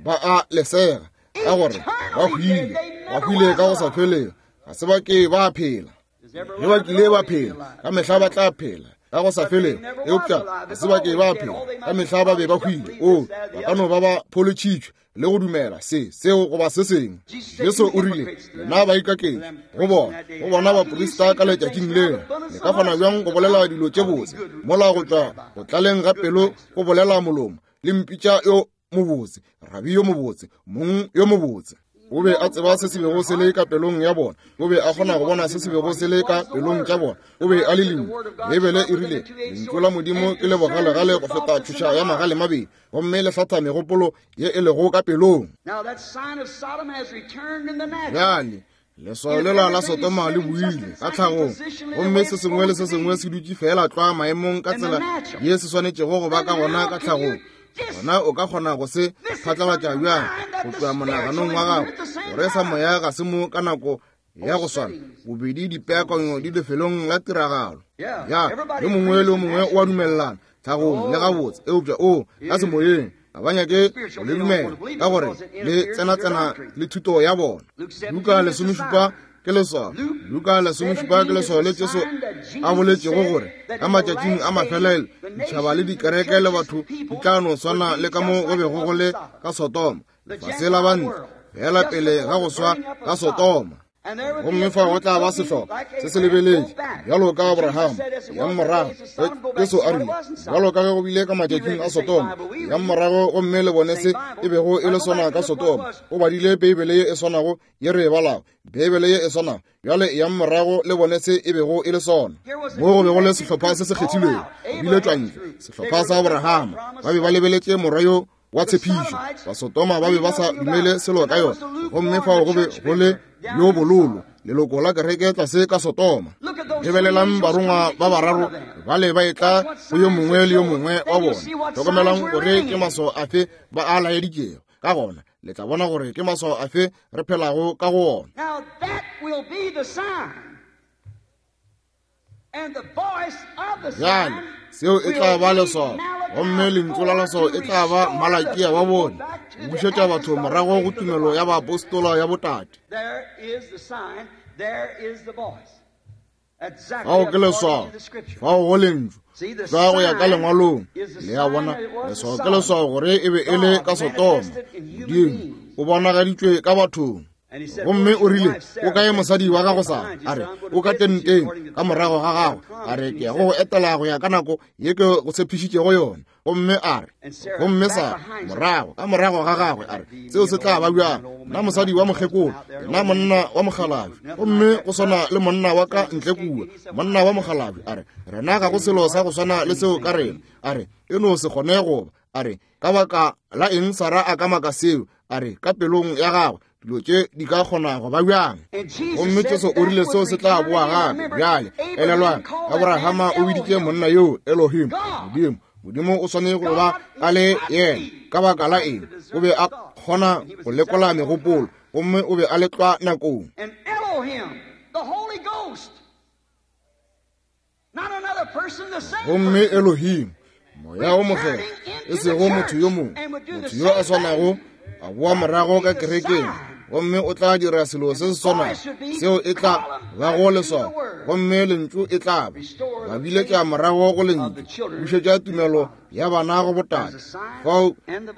Ba a lesega, ka gore ba hwile, ba hwile ka go sa felego, ga se ba ke ba phela. Ge ba kile ba phela, ka mehla ba tla phela ka go sa felego, eupša ga se ba ke ba phela, ka mehla ba be ba hwile. O, ba ka no ba ba pholotšhitšwe le go dumela se, seo goba se sengwe. Jesu o rile, lena baikaketši, go bona, go bona baprista ka letšatšing leo, le ka kgona bjang go bolela dilo tše botse, mola go tšwa go tlaleng ga pelo go bolela molomo, le mpitša yo mobotse, rabi yo mobotse, mong yo mobotse. O be a tseba se se bego se le ka pelong ya bona. O be a kgona go bona se se bego se le ka pelong tša bona. O be a le lengwe. Beibele e rile, lentšu la Modimo ke le bogalegale go feta tšhoša ya magale mabedi, gomme le hlatha megopolo ye e lego ka pelong. Bjale leswao lela la Sodoma le buile ka tlhagong, gomme se sengwe le se sengwe se dutše fela tlwa maemong ka tsela ye se swanetšego go ba ka gona ka tlhagong. Gona o ka kgona go se phatlalatša bjang go tšwa monaganong wa gago gore sa moya ga se mo ka nako ya go swana? Bobedi dipeakanyo di lefelong la tiragalo. Ya, yo mongwe le yo mongwe o a dumelelana tlhagong le gabotse, eupša o ka semoyeng ga ba nyake go le dumela, ka gore le tsenatsena le thuto ya bona. Luka lesomešupa ke leswao. Luka lesomešupa ke leswao le Jesu a boletšego gore ka matšatšing a mafelelo ditšhaba le dikereke le batho di tla no swana le ka mo go bego go le ka Sodoma, lefase la bantle fela pele ga go swa ka Sodoma. Gomme fa go tla ba sehlopha se se lebeletše bjalo ka Abraham ya morago. Jesu a rile, bjalo ka ge go bile ka matšatšing a Sodoma ya morago, gomme le bone se e bego e le sona ka Sodoma. O badile Beibele ye e swanago ye re e balago, Beibele ye e swanago. Bjale ya morago le bone se e bego e le sona. Mo go bego le sehlopha se se kgethilwego, go biletšwa ntle, sehlopha sa Abraham. Ba be ba lebeletše morwa yo wa tshepišo. Basodoma ba be ba sa dumele selo ka yona, gomme fao go be go le yo bololo, leloko la kereke tlase ka Sodoma. Lebelelang barongwa ba bararo bale ba etla go yo mongwe le yo mongwe wa bona. Hlokomelang gore ke maswao afe ba a laeditšego. Ka gona le tla bona gore ke maswao afe re phelago ka go ona. Bjale seo e tla ba leswao, gomme lentšu la leswao e tla ba Malakia wa bone, go bušetša batho morago go tumelo ya baapostola ya botate. Fao ke leswao, fao go lentšu tšwa go ya ka lengwalong. Le a bona, leswao ke leswao gore e be e le ka Sodoma. Modimo o bonagaditšwe ka bathong. Gomme o rile, o kae mosadi wa gago Sara? A re, o ka tenteng ka morago ga gago. A re, ke ya go go etela go ya ka nako ye ke go tshepišitšego yona. Gomme a re, gomme Sara morago ka morago ga gagwe, a re, seo se tla ba bjang? Nna mosadi wa mokgekolo, nna monna wa mokgalabje, gomme go swana le monna wa ka ntle kua, monna wa mokgalabje. A re, rena ga go selo sa go swana le seo ka rena. A re, e no se kgone go ba. A re, ka baka la eng Sara a ka maka seo? A re, ka pelong ya gagwe dilo tše di ka kgona go ba bjang? Gomme Jesu o rile seo se tla boa gape. Bjale elelwang, Abrahama o biditše monna yo Elohim, Modimo. Modimo o swanetše go ba a le yena. Ka baka la eng? O be a kgona go lekola megopolo, gomme o be a le tlwa nakong. Gomme Elohim, moya o mokgethwa, e sego motho yo mongwe, motho yo a swanago, a boa morago ka kerekeng, gomme o tla dira selo se se swanago. Seo e tla ba go leswao, gomme lentšu e tla ba ba biletša morago go lentšu, bušetša tumelo ya bana go botate. Fao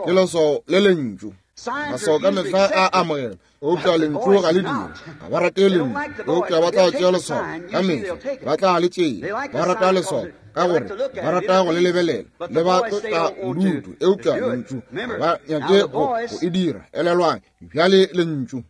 ke leswao le lentšu. Maswao ka mehla a amogela, eupša lentšu ga le dire. Ga ba rate lentšu, eupša ba tla tšea leswao ka mehla, ba tla le tšea. Ba rata leswao ka gore ba rata go le lebelela, le ba tlotla bodutu, eupša lentšu ga ba nyake go e dira. Elelwang bjale lentšu,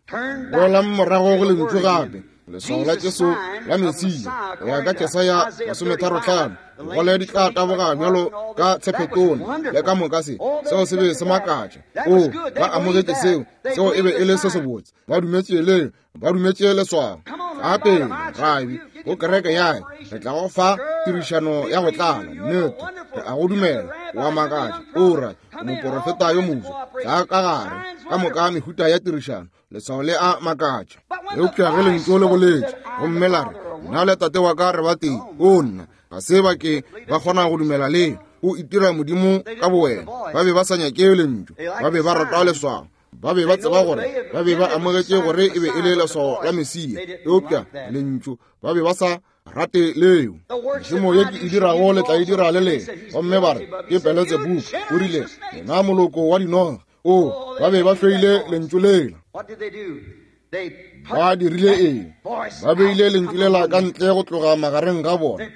boelang morago go lentšu gape. Leswao la Jesu la Mesia go ya ka Jesaya masometharo hlano, digole di tla taboga bjalo ka tshephetone le ka moka. Se seo se be se makatša. O, ba amogetše seo, seo e be e le se sebotse. Ba dumetše le ba dumetše leswao. Gape rabi go kereke ya re tla go fa tirišano ya go tlala. Nnete, re a go dumela. Wa makatša, o ra O moporofeta yo moswa. Tla ka gare, ka moka mehuta ya tirišano, leswao le a makatša. Eupša ge lentšu le boletše, gomme la re, nna le tate wa ka re ba tee, o nna, ga se ba ke ba kgona go dumela leo. O itira modimo ka bowena. Ba be ba sa nyake lentšu, ba be ba rata leswao. Ba be ba tseba gore ba be ba amogetše gore e be e le leswao la Mesia, eupša lentšu ba be ba sa rate leo. Mešomo ye ke e dirago le tla e dira le lena. Gomme ba re ke Beletsebubu. O rile, lena moloko wa dinoga. O, ba be ba hloile lentšu lela. Ba dirile eng? Ba beile lentšu lela ka ntle go tloga magareng ga bona.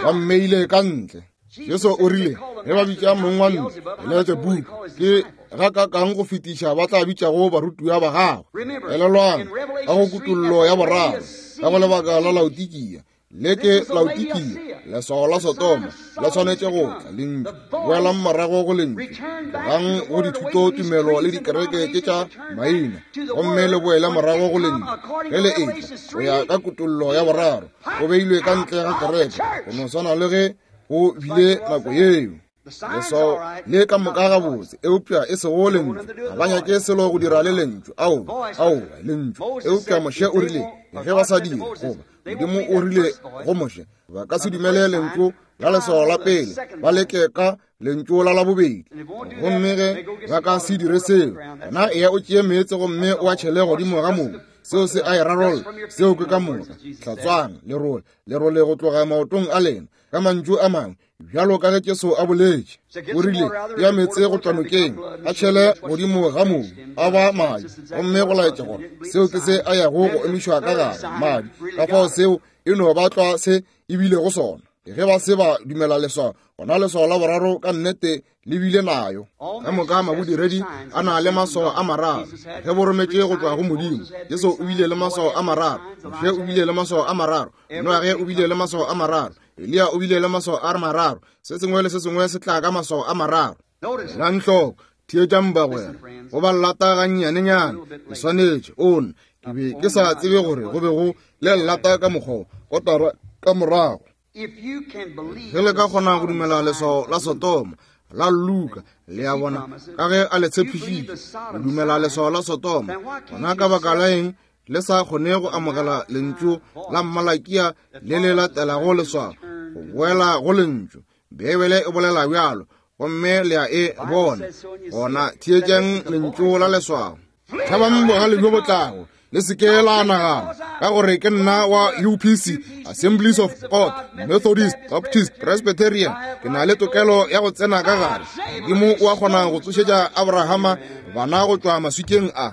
Ba mmeile ka ntle. Jesu o rile, ge ba bitša mong wa ntlo Beletsebubu, ke ga ka kang go fetiša ba tla bitšago barutiwa ba gagwe. Elelwang, ka go kutollo ya boraro, ka go lebaka la Laodikia, le ke Laodikia, leswao la Sodoma le swanetše go tla. Lentšu, boelang morago go lentšu, tlogang go dithuto tumelo le dikereke tše tša maina, gomme le boele morago go lentšu. Ge le etla go ya ka kutollo ya boraro, go beilwe ka ntle ga kereke, go no swana le ge go bile nako yeo. Leswao le ka moka gabotse, eupša e sego lentšu. Ga ba nyake selo go dira le lentšu. Ao, ao, lentšu. Eupša Moshe o rile, ge ba sa dire, goba Modimo o rile go Moshe, ba ka se dumele lentšu la leswao la pele, ba leke ka lentšu la la bobedi. Gomme ge ba ka se dire seo, gona eya o tšee meetse gomme o a tšhele godimo ga mobu. Seo se a e rarolla. Seo ke ka moka. Hlatswang lerole, lerole go tloga maotong a lena. Ka mantšu a mangwe, bjalo ka ge Jesu a boletše, o rile, ya meetse go tšwa nokeng, a tšhele godimo ga mobu, a ba madi. Gomme go laetša gore seo ke se a yago go emišwa ka gare, madi. Ka fao seo e no ba tlwa se e bilego sona. Ge ba se ba dumela leswao, gona leswao la boraro ka nnete le bile nayo. Ka moka mabodiredi a na le maswao a mararo. Ge bo rometše go tšwa go Modimo, Jesu o bile le maswao a mararo, Moshe o bile le maswao a mararo, Noage o bile le maswao a mararo, Eliya o bile le maswao a mararo. Se sengwe le se sengwe se tla ka maswao a mararo. Elang hloko, theetšang bagwera, go ba lata gannyanenyane, ke swanetše. O nna, ke be ke sa tsebe gore go be go le lata ka mokgwa kotara ka morago. Ge le ka kgona go dumela leswao la Sodoma la Luka, le a bona, ka ge a le tshepišitše, le dumela leswao la Sodoma, gona ka baka la eng le sa kgone go amogela lentšu la Malakia le le latelago leswao, go boela go lentšu? Beibele e bolela bjalo, gomme le a e bona. Gona theetšeng lentšu la leswao. Tšhabang bogale bjo bo tlago, le se ke la nagana ka gore ke nna wa U P C, Assemblies of God, Methodist, Baptist, Presbyterian, ke na le tokelo ya go tsena ka gare. Modimo o a kgona go tsošetša Abrahama bana go tšwa maswikeng a.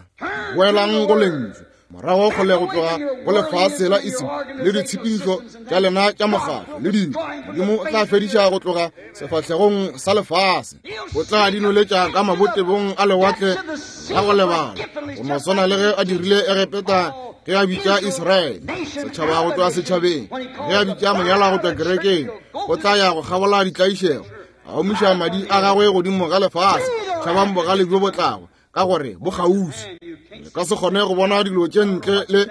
Boelang go lentšu, morago kgole go tloga go lefase la Ism le ditshepedišo tša lena tša mokgatlo le dilo. Modimo o tla fediša go tloga sefahlegong sa lefase. O tla di noletša ka mabotebong a lewatle la go lebala, go no swana le ge a dirile Egepeta ge a bitša Israele, setšhaba go tšwa setšhabeng, ge a bitša monyalwa go tšwa kerekeng. O tla ya go kgabola ditlaišego, a omiša madi a gagwe godimo ga lefase. Tšhabang bogale bjo bo tlago, ka gore bo kgauswi. Le ka se kgone go bona dilo tše ntle le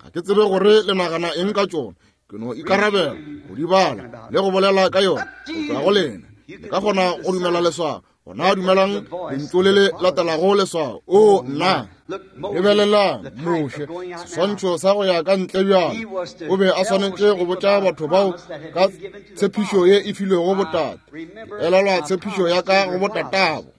ga ke tsebe gore le nagana eng ka tšona. Ke no ikarabela go di bala le go bolela ka yona go tšwa go lena. Le ka kgona go dumela leswao, gona dumelang lentšu le le latelago leswao. O nna, lebelelang Moshe, seswantšho sa go ya ka ntle bjalo. O be a swanetše go botša batho bao ka tshepišo ye e filwego botate. Elelwa tshepišo ya ka go botatabo.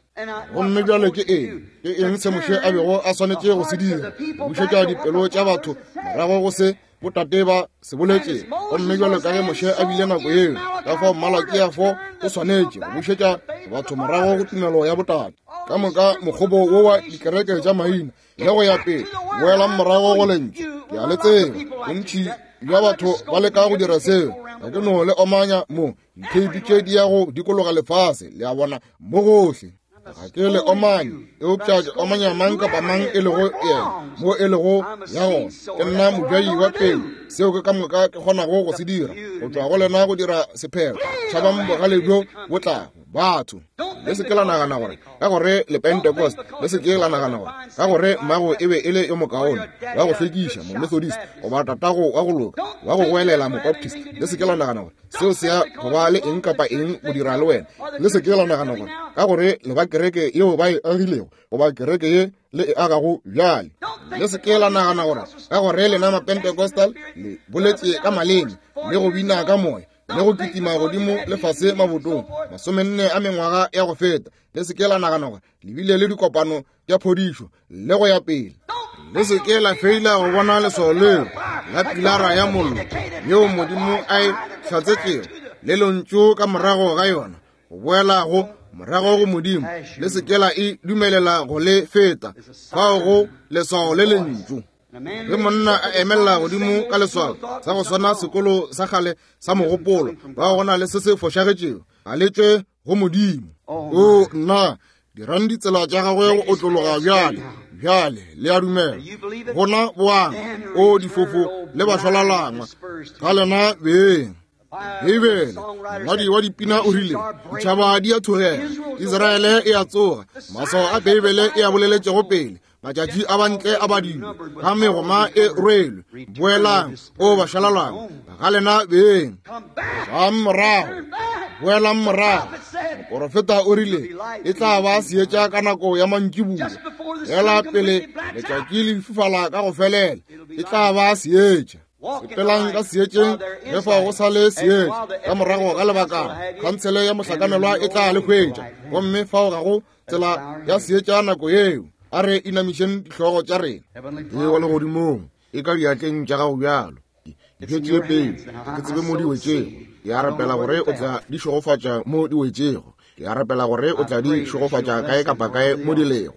Gomme bjale ke eng? Ke eng se Moshe a bego a swanetše go se dira? Go bušetša dipelo tša batho morago go se botate ba se boletše. Gomme bjalo ka ge Moshe a bile nako yeo, ka fao Malakia fo o swanetše go bušetša batho morago go tumelo ya botate. Ka moka mokgobo wo wa dikereke tša maina le go ya pele, boelang morago go lentšu. Ke a le tseba, bontši bja batho ba leka go dira seo. Ga ke no le omanya mo, ditheipi tše di ya go dikologa lefase, le a bona, mo gohle. Ga ke le omanye, eupša ke omanya mang kapa mang e lego yena, mo e lego ya gona. Ke nna mojai wa peu, seo ke ka moka ke kgonago go se dira, go tšwa go lena go dira sephetho. Tšhabang bogale bjo bo tlago, batho. Le se ke la nagana gore ka gore le Pentecost, le se ke la nagana gore ka gore mmago e be e le yo mokaone wa go hlwekiša Momethodist, goba tatago wa go loka wa go goelela Mobaptist. Le se ke la nagana gore seo se ya go ba le eng kapa eng go dira le wena. Le se ke la nagana gore ka gore le ba kereke yeo ba e agilego, goba kereke ye le e agago bjale. Le se ke la nagana gore ka gore lena Mapentecostal le boletše ka maleme le go bina ka moya le go kitima godimo le fase mabotong masomenne a mengwaga ya go feta. Le se ke la nagana gore le bile le dikopano tša phodišo le go ya pele. Le se ke la feila go bona leswao leo la pilara ya mollo yeo Modimo a e hlatsetšego le lentšu ka morago ga yona go boela go morago go Modimo. Le se ke la e dumelela go le feta fao go leswao le lentšu. Ge monna a emella godimo ka leswao sa go swana sekolo sa kgale sa mogopolo, ba go na le se se fošagetšego, ga le tšwe go Modimo. O nna, dirang ditsela tša gagwe go otlologa bjale. Bjale le a dumela. Gona boang, o difofo le bašwalalangwa, ga lena beng. Beibele, mongwadi wa dipina o rile, ditšhaba di a thogela, Israele e a tsoga. Maswao a Beibele e a boleletšego pele, matšatši a bantle a badilwe, ga megoma e rwelwe. Boelang, o bašwalalangwa, ga lena beng. Tlang morago, boelang morago. Moporofeta o rile, e tla ba seetša ka nako ya mantšiboa, fela pele letšatši le fifala ka go felela, e tla ba seetša. Sepelang ka seetšeng ge fao go sa le seetša. Ka morago ga lebakana khansele ya mohlakanelwa e tla le hwetša, gomme fao ga go tsela ya seetša nako yeo. A re inamišeng dihlogo tša rena. E wa legodimong, e ka diatleng tša gago bjalo. Di tšee pele, ke tsebe mo di wetšego. Ke a rapela gore o tla di šegofatša mo di wetšego. Ke a rapela gore o tla di šegofatša kae kapa kae mo di lego.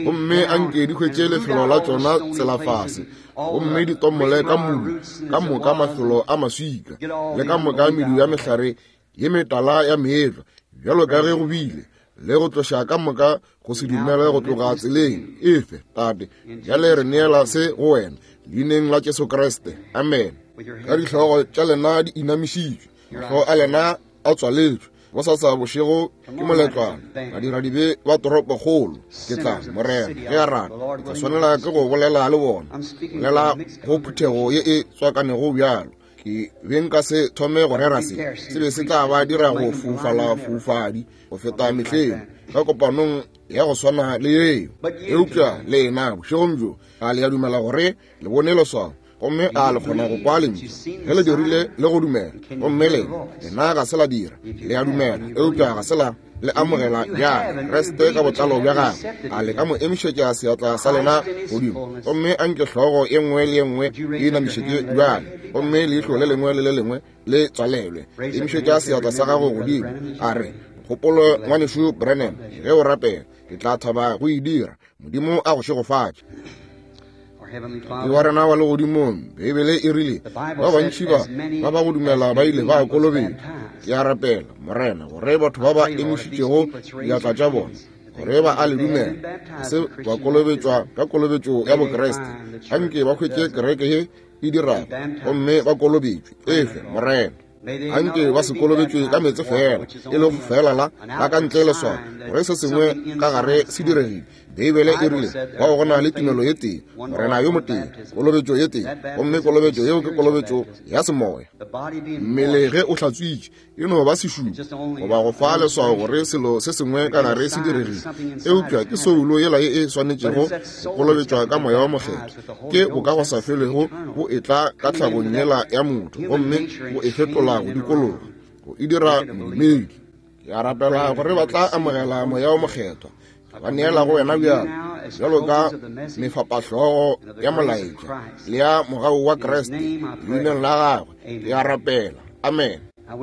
Gomme anke di hwetše lefelo la tšona tsela fase, gomme di tomole ka modu ka moka mafelo a maswika le ka moka medu ya mehlare ye metala ya meetlwa, bjalo ka ge go bile, le go tloša ka moka go se dumele go tloga tseleng efe. Tate, bjale re neela se go wena leineng la Jesu Kriste, amen. Ka dihlogo tša lena di inamišitšwe, mahlo a lena a tswaletšwe. Bosasa bošego ke moletlwana, badiradibe ba toropokgolo. Ke tla, Morena ge a rata, ke tla swanela ke go bolela le bona, bolela go phuthego ye e tswakanego bjalo. Ke be nka se thome go rera se, se be se tla ba dira go foufala foufadi go feta mehleng ka kopanong ya go swana le yeo. Eupša lena bošegong bjo a le a dumela gore le bone leswao, gomme a le kgona go kwa lentšu ge le dirile le go dumela. Gomme lena, lena ga se la dira, le a dumela, eupša ga se la le amogela bjale Kriste ka botlalo bja gagwe. A le ka mo emišetša seatla sa lena godimo, gomme a nke hlogo ye nngwe le ye nngwe e inamišetše bjale, gomme leihlo le lengwe le le lengwe le tswalelwe. Emišetša seatla sa gago godimo, a re, kgopolo ngwanešu Branham, ge o rapela, ke tla thaba go e dira. Modimo a go šegofatše. Ke wa rena wa legodimong, Beibele e rile ba bantši ba ba ba go dumela ba ile ba kolobetšwa. Ke a rapela, Morena, gore batho ba ba emišitšego diatla tša bona gore ba a le dumela, se ba kolobetšwa ka kolobetšo ya Bokriste, anke ba hwetše kereke ye e dirago gomme ba kolobetšwe. Efe, Morena, anke ba se kolobetšwe ka meetse fela, e lego fela la la ka ntle leswao gore se sengwe ka gare se diregile. Beibele e rile bao go na le tumelo ye tee, Morena yo motee, kolobetšo ye tee, gomme kolobetšo yeo ke kolobetšo ya semoya. Mmele ge o hlatswitše e no ba sešupo goba go fa leswao gore selo se sengwe ka gare se diregile, eupša ke soulo yela ye e swanetšego go kolobetšwa ka moya wa mokgethwa. Ke bokagosafelego bo etla ka tlhagong yela ya motho, gomme bo e fetola go dikologa, go e dira modumedi. Ke a rapela gore ba tla amogela moya wa mokgethwa. Ba neela go wena bjalo, bjalo ka mefapahlogo ya molaetša le ya mogau wa Kriste, leineng la gagwe ke a rapela, amen.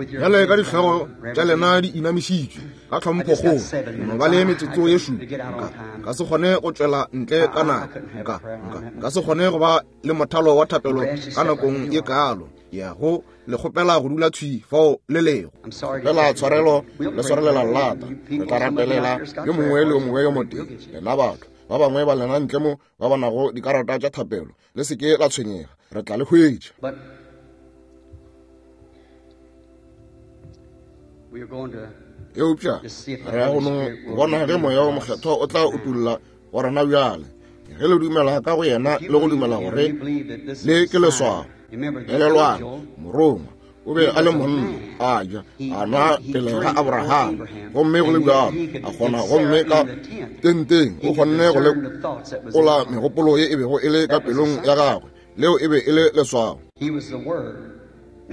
Bjale ka dihlogo tša lena di inamišitšwe ka tlhomphokgolo, no ba le metsotso ye šupa. Nka nka se kgone go tšwela ntle ka nako, nka nka nka se kgone go ba le mothalo wa thapelo ka nakong ye kalo. Ke ya go le kgopela go dula thwi fao le lego. Kgopela tshwarelo le swarelela lata. Re tla rapelela yo mongwe le yo mongwe yo motee. Lena batho ba bangwe ba lena ntle mo ba ba nago dikarata tša thapelo, le se ke la tshwenyega, re tla le hwetša. Eupša re ya go no bona ge Moya wo Mokgethwa o tla utolla go rena bjale. Ge le dumela ka go yena le go dumela gore le ke leswao. Elelwang, morongwa o be a le monna, a ja, a nwa pele ga Abraham, gomme go le bjalo a kgona, gomme ka tenteng o kgonne go lekola megopolo ye e bego e le ka pelong ya gagwe. Leo e be e le leswao.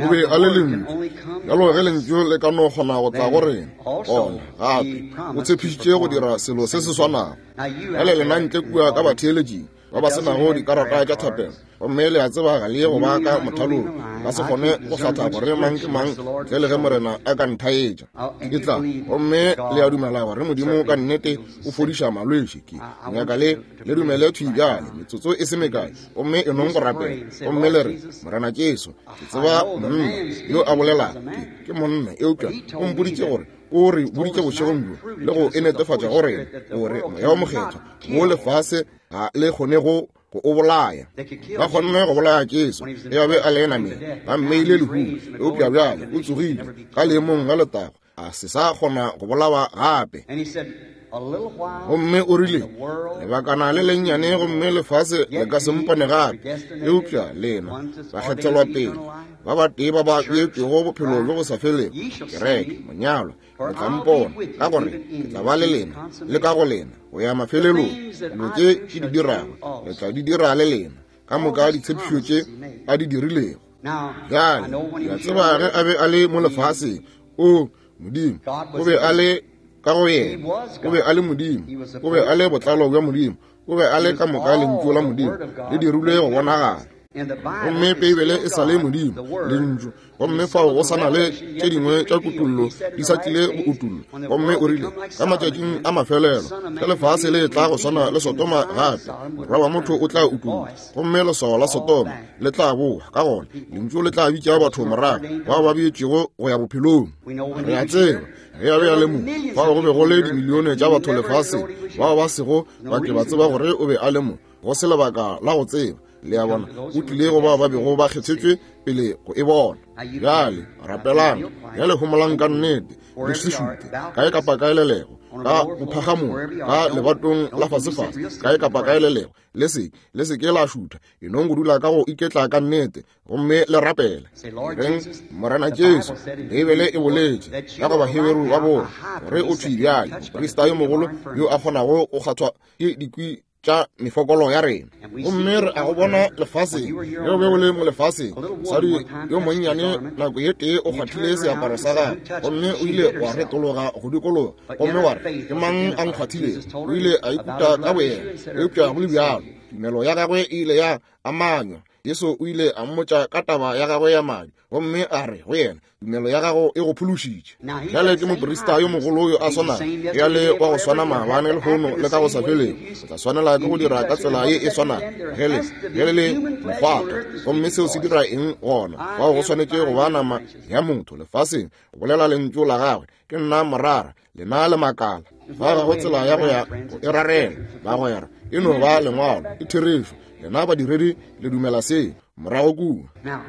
O be a le lentšu. Bjalo ge lentšu le ka no kgona go tla go rena, gona gape o tshepišitše go dira selo se se swanago. Bjale lena ntle kua ka batheeletšing ba ba se nago dikarata tša thapelo, gomme le a tseba ga le ye go ba ka mothalong, ba se kgone go hlatha gore mang ke mang ntle le ge Morena a ka nthaetša. Ke tla, gomme le a dumela gore Modimo ka nnete o fodiša malwetši. Ke nyaka le le dumele thwi bjale, metsotso e se mekae, gomme e nong go rapela, gomme le re, Morena Jesu, ke tseba monna yo a bolelago, ke ke monna, eupša o mpoditše gore o re boditše bošegong bjo le go e netefatša go rena gore Moya wo Mokgethwa mo lefase ga le kgone go go o bolaya. Ba kgonne go bolaya Jesu ge a be a le nameng, ba mmeile lehung, eupša bjale o tsogile ka leemong la letago, a se sa kgona go bolawa gape. Gomme o rile, lebakana le lennyane gomme lefase le ka se mpone gape, eupša lena bakgethelwa pele ba batee ba ba beetšwego bophelo bjo bo sa felego, kereke, monyalwa, le tla mpona, ka gore ke tla ba le lena le ka go lena go ya mafelelong. Dilo tše ke di dirago le tla di dira le lena, ka moka ditshepišo tše a di dirilego. Bjale ke a tseba ge a be a le mo lefaseng, o Modimo o be a le ka go yena, o be a le Modimo, o be a le botlalo bja Modimo, o be a le ka moka lentšu la Modimo le dirilwe go bonagala. Gomme Beibele e sa le Modimo, lentšu, gomme fao go sana le tše dingwe tša kutullo di sa tlile go utullwa. Gomme o rile, ka matšatšing a mafelelo, ge lefase le tla go swana le Sodoma gape, Morwa wa motho o tla utullwa, gomme leswao la Sodoma le tla boa. Ka gona lentšu le tla bitša batho morago bao ba beetšwego go ya bophelong. Re a tseba ge a be a le mo, fao go be go le dimilione tša batho lefaseng bao ba sego ba ke ba tseba gore o be a le mo, go se lebaka la go tseba. Le a bona, o tlile go bao ba bego ba kgethetšwe pele go e bona. Bjale rapelang, bjale homolang ka nnete, le se šute kae kapa kae le lego, ka bophagamong, ka lebatong la fasefase, kae kapa kae le lego, le se le se ke la šutha, e nong go dula ka go iketla ka nnete, gomme le rapele. Reng, Morena Jesu, Beibele e boletše ka go Baheberu ba bona gore o thwi bjale moprista yo mogolo yo a kgonago go kgathwa ke dikwi tša mefokolo ya rena. Gomme re a go bona lefaseng, ge o be o le mo lefaseng, mosadi yo monnyane nako ye tee o kgwathile seaparo sa gagwe, gomme o ile wa retologa go dikologa, gomme wa re, ke mang a nkgwathilego? O ile a ikuta ka boyena, eupša go le bjalo tumelo ya gagwe e ile ya amanywa. Jesu o ile a mmotša ka taba ya gagwe ya madi, gomme a re go yena, tumelo ya gago e go phološitše. Bjale ke moprista yo mogolo yo a swanago, ya le wa go swana maabane, lehono le ka go sa felego. O tla swanela ke go dira ka tsela ye e swanago ge le ge le le mokgwatha. Gomme seo se dira eng gona? Fao go swanetše go ba nama ya motho lefaseng go bolela lentšu la gagwe, ke nna morara, lena le makala. Fa ga go tsela ya go ya go e rarela, bagwera, e no ba lengwalo, ke therešo. Lena badiredi le dumela se morago kua.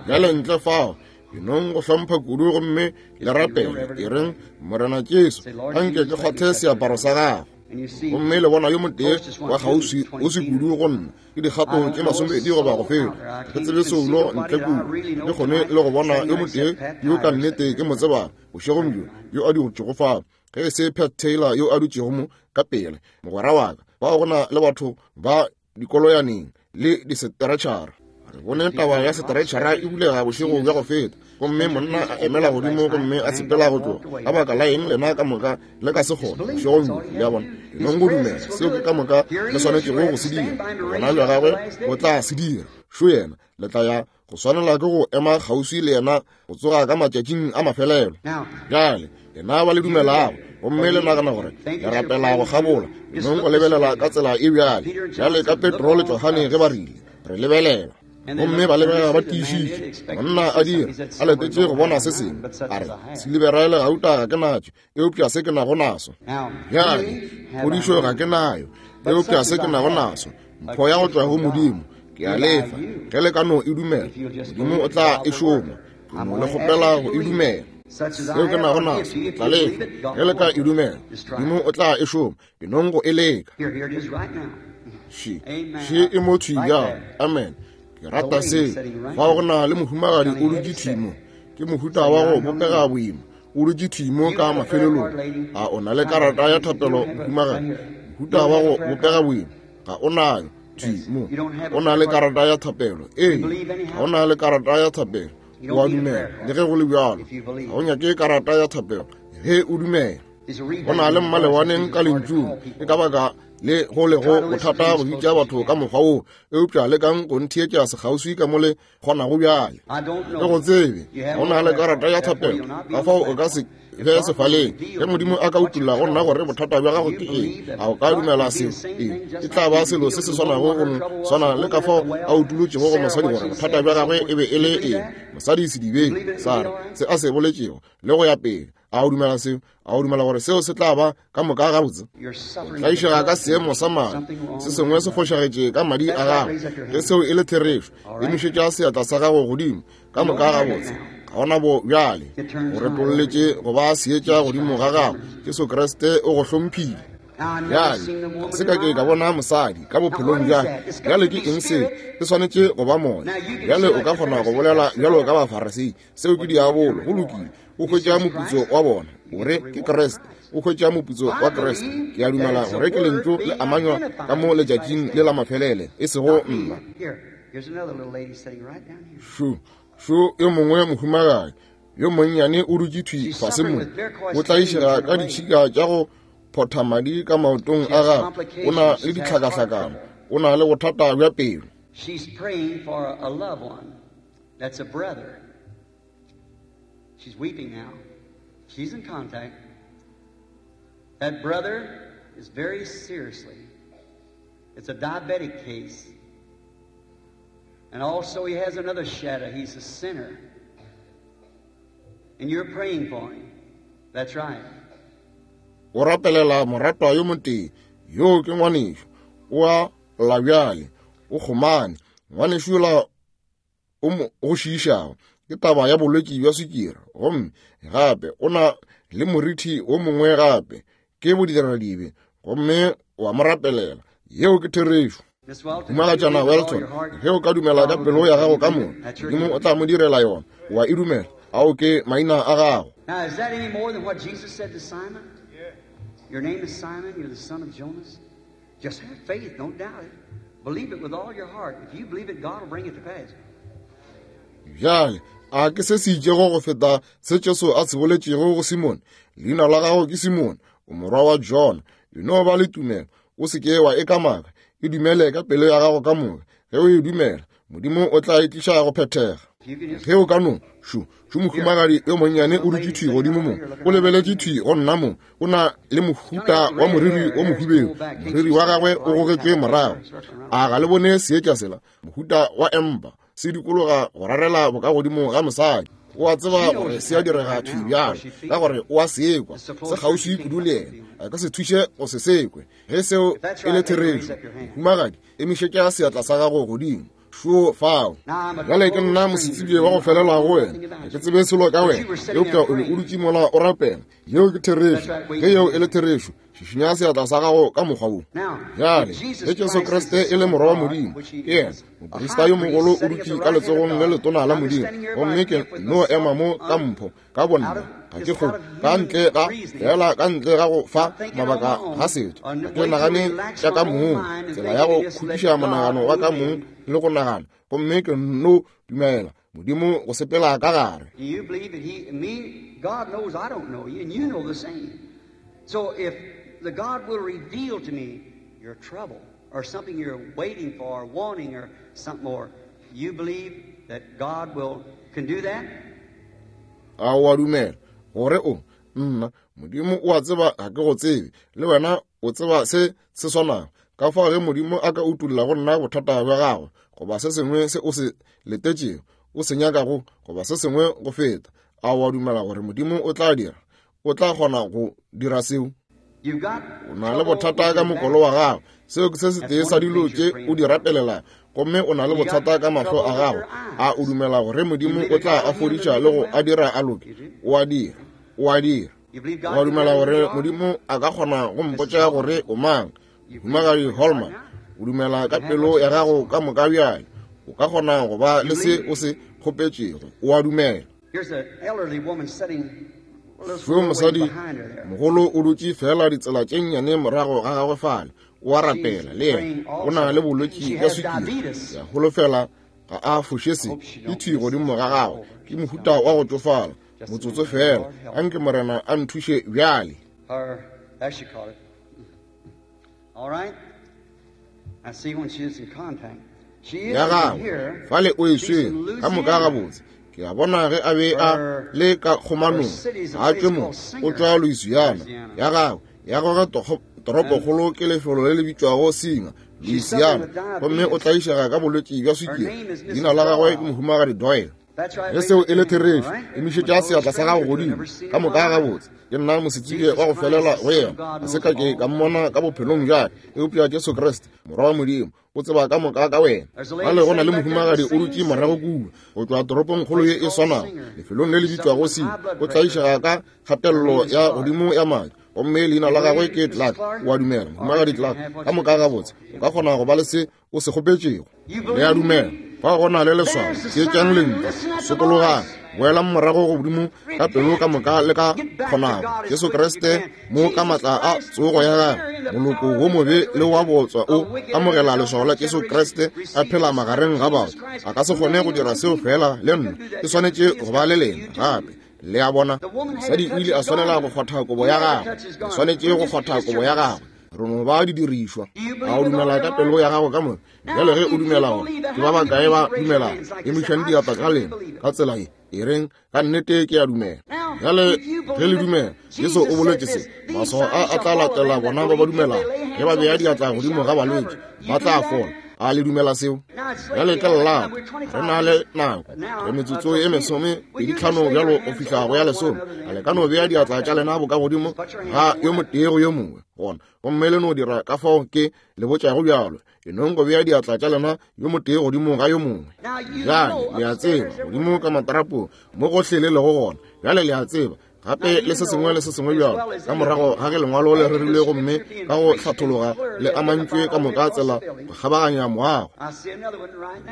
Bjale ntle fao, e nong go hlompha kudu gomme le rapele, e reng, Morena Jesu, anke ke kgwathe seaparo sa gago. Gomme le bona yo motee wa kgauswi o se kudu go nna, ke dikgato tše masomepedi goba go feta, ke tsebe soulo ntle kudu, ke kgone le go bona yo motee yo ka nnete ke mo tsebago bošegong bjo, yo a dutšego fao, ge e se Pat Taylor yo a dutšego mo ka pele, mogwera wa ka. Bao go na le batho ba dikoloyaneng le disetretšhara. Re bone taba ya setretšhara e bulega bošego bja go feta, gomme monna a emela godimo gomme a sepela go tloga. Ka baka la eng lena ka moka le ka se kgone bošegong bjo? Le a bona, e nong go dumela seo ke ka moka le swanetšego go se dira. Gona bja gagwe o tla se dira. Šo yena, le tla ya go swanela ke go ema kgauswi le yena go tsoga ka matšatšing a mafelelo. Bjale lena ba le dumelago gomme le nagana gore le rapela go kgabola, nong go lebelela ka tsela e bjale. Bjale ka Petro le Johane ge ba rile, re lebelela, gomme ba lebelela ba tiišitše. Monna a dira a letetše go bona se sengwe, a re, silibera le gauta ga ke natšo, eupša se ke nago naso. Bjale phodišo ga ke nayo, eupša se ke nago naso, mpho ya go tšwa go Modimo, ke a lefa. Ge le ka no e dumela, Modimo o tla e šoma. Ke no le kgopela go e dumela. Seo ke nago naso, ke tla le fa. Ge le ka e dumela, Modimo o tla e šoma. Ke nong go e leka. Še, še e mo thwi bjalo. Amen. Ke rata se. Fao go na le mohumagadi o dutše thwi mo. Ke mohuta wa go bopega boima. O dutše thwi mo ka mafelelong. A o na le karata ya thapelo, mohumagadi? Mohuta wa go bopega boima. Ga o nayo thwi mo. O na le karata ya thapelo. Ee, ga o na le karata ya thapelo. O a dumela, le ge go le bjalo. Ga o nyake karata ya thapelo, ge o dumela. Go na le mmalewaneng ka lentšung. Ke ka baka le go lego bothata go bitša batho ka mokgwa wo, eupša lekang go ntheetša sekgauswi ka mo le kgonago bjale. Ke go tsebe, ga o na le karata ya thapelo, ka fao o ka se be sefaleng. Ge Modimo a ka utolla go nna gore bothata bja gago ke eng, a o ka dumela seo? Ee, e tla ba selo se se swanago go no swana le ka fao a utolotšego go mosadi gore bothata bja gagwe e be e le eng. Mosadi sedibeng, Sara, se a se boletšego, le go ya pele. A o dumela seo? A o dumela gore seo se tla ba ka moka gabotse? O tlaišega ka seemo sa madi. Se sengwe se fošagetše ka madi a gago. Ge seo e le therešo, emišetša seatla sa gago godimo. Ka moka gabotse. Ga ona bo bjale. O retolletše go ba seetša godimo ga gago. Jesu Kriste o go hlomphile. Bjale, ga se ka ke ka bona mosadi ka bophelong bja. Bjale ke eng se? E swanetše go ba moya. Bjale o ka kgona go bolela bjalo ka Bafarasei. Seo ke diabolo. Go lokile. O hwetša moputso wa bona. O re ke Kriste. O hwetša moputso wa Kriste. Ke a dumela gore ke lentšu le amanywa ka mo letšatšing le la mafelele, e sego nna. Šo, šo yo mongwe mohumagadi yo monnyane o dutše thwi fase mo. O tlaišega ka ditšhika tša go photha madi ka maotong a gagwe. O na le ditlhakahlakano. O na le bothata bja pelo. She's praying for a loved one. That's a brother. She's weeping now. She's in contact. That brother is very seriously. It's a diabetic case. And also he has another shadow. He's a sinner. And you're praying for him. That's right. O rapelela moratwa yo motee. Yo ke ngwanešo. O a lla bjale. O kgomane. Ngwanešo yola o mo go šiišago. Ke taba ya bolwetši bja swikiri. Gomme gape o na le morithi wo mongwe gape. Ke bodiradibe. Gomme wa mo rapelela. Yeo ke therešo. Mohumagatšana Welton, ge o ka dumela ka pelo ya gago ka moka, Modimo o tla mo direla yona. Wa e dumela? Ao ke maina a gago. Now, is that any more than what Jesus said to Simon? Your name is Simon, you're the son of Jonas. Just have faith, don't doubt it. Believe it with all your heart. If you believe it, God will bring it to pass. Bjale, a ke se se itšego go feta se Jesu a se boletšego go Simone? Leina la gago ke Simone, o morwa wa Jona. E no ba le tumelo, o se ke wa e kamaka. E dumele ka pelo ya gago ka moka. Ge o e dumela, Modimo o tla e tliša go phethega. Ge o ka no, šo, šo mohumagadi yo monnyane o dutše thwi godimo mo. O lebeletše thwi go nna mo. O na le mohuta wa moriri o mohubedu. Moriri wa gagwe o gogetšwe morago. A ga le bone seetša sela? Mohuta wa empa se dikologa go rarela bokagodimo ga mosadi. O a tseba gore se a direga thwi bjalo, ka gore o a sekwa. Se kgauswi kudu le yena. A ka se thuše go se sekwe. Ge seo e le therešo, mohumagadi, emišetša seatla sa gago godimo. Šo fao. Bjale ke nna mosetsebje wa go felela go wena. Ga ke tsebe selo ka wena, eupša o be o dutše mola o rapela. Yeo ke therešo. Ge yeo e le therešo, šišinya seatla sa gago ka mokgwa wo. Bjale, ge Jesu Kriste e le morwa wa Modimo, ke yena moprista yo mogolo o dutše ka letsogong le letona la Modimo. Gomme ke no ema mo ka mpho ka bonna. Ga ke go ka ntle ga fela ka ntle ga go fa mabaka ga setho. Ga ke nagane tša ka mong, tsela ya go khutiša monagano wa ka mong le go nagana. Gomme ke no dumela Modimo go sepela ka gare. Do you believe that he, me, God knows I don't know you, and you know the same. So if the God will reveal to me your trouble or something you're waiting for or wanting or something more, you believe that God will can do that? A o a dumela gore o nna Modimo o a tseba ga ke go tsebe, le wena o tseba se se swanago. Ka fao ge Modimo a ka utolla go nna bothata bja gago, goba se sengwe se o se letetšego, o se nyakago, goba se sengwe go feta, a o a dumela gore Modimo o tla dira? O tla kgona go dira seo? You've got O na le bothata ka mokolo wa gago. Seo ke se setee sa dilo tše o di rapelelang. Gomme o na le bothata ka mahlo a gago. A o dumela gore Modimo o tla a fodiša le go a dira a loke? O a dira, o a dira. O a dumela gore Modimo a ka kgona go mpotša gore o mang? Mohumagadi Holman, o dumela ka pelo ya gago ka moka bjale. O ka kgona go ba le se o se kgopetšego. O a dumela. Fo mosadi mogolo o dutše fela ditsela tše nnyane morago ga gagwe fale. O a rapela le yena. O na le bolwetši bja swikiri. Ya holofela ga a foše se e thwi godimo ga gagwe. Ke mohuta wa go tšofala. Motsotso fela. Anke Morena a nthuše bjale. Ya gagwe fale o e swere ka moka gabotse. Ke a bona ge a be a le ka kgomanong, a tšwe mo, o tšwa Louisiana. Ya gagwe ya gagwe toropokgolo ke lefelo le le bitšwago Singer, Louisiana, gomme o tlaišega ka bolwetši bja swikiri. Leina la gagwe ke Mohumagadi Doyle. Ge seo e le therešo, emišetša seatla sa gago godimo. Ka moka gabotse. Ke nna mosetsebje wa go felela go yena. Ga se ka ke ka mmona ka bophelong bjale, eupša Jesu Kriste, Morwa wa Modimo, o tseba ka moka ka wena. Bjale go na le mohumagadi o dutše morago kua, go tšwa toropongkgolo ye e swanago, lefelong le le bitšwago Sina. O tlaišega ka kgatelelo ya godimo ya madi, gomme leina la gagwe ke Clark. O a dumela, mohumagadi Clark? Ka moka gabotse. O ka kgona go ba le se o se kgopetšego. Le a dumela. Fa go na le leswao, theetšang lentšu, sokologang, boelang morago godimo ka pelo ka moka le ka kgonago. Jesu Kriste mo ka matla a tsogo ya gagwe, moloko wo mobe le wa botswa o amogela leswao la Jesu Kriste a phela magareng ga batho. A ka se kgone go dira seo fela le nna, ke swanetše go ba le lena gape. Le a bona, mosadi o ile a swanela go kgwatha kobo ya gagwe. O swanetše go kgwatha kobo ya gagwe. Re no ba didirišwa. A o dumela ka pelo ya gago ka moka? Bjale ge o dumela gore ke ba bakae ba dumelago, emišang diatla tša lena ka tsela ye, e reng, ka nnete ke a dumela. Bjale ge le dumela, Jesu o boletše se, maswao a a tla latela bona ba ba dumelago. Ge ba bea diatla godimo ga balwetši, ba tla fola. A le dumela seo? Bjale ke lelapa, re na le nako, re metsotso e mesome pedi tlhano bjalo go fihla go ya lesome. A le ka no bea diatla tša lena boka godimo ga yo motee go yo mongwe gona, gomme le no dira ka fao ke le botšago bjalo. E nong go bea diatla tša lena yo motee godimo ga yo mongwe. Bjale le a tseba, godimo ka matrapong mo gohle le lego gona. Bjale le a tseba gape le se sengwe le se sengwe bjalo ka morago ga ge lengwalo le rerilwe gomme ka go hlathologa le amantšwe ka moka tsela go kgabaganya moago.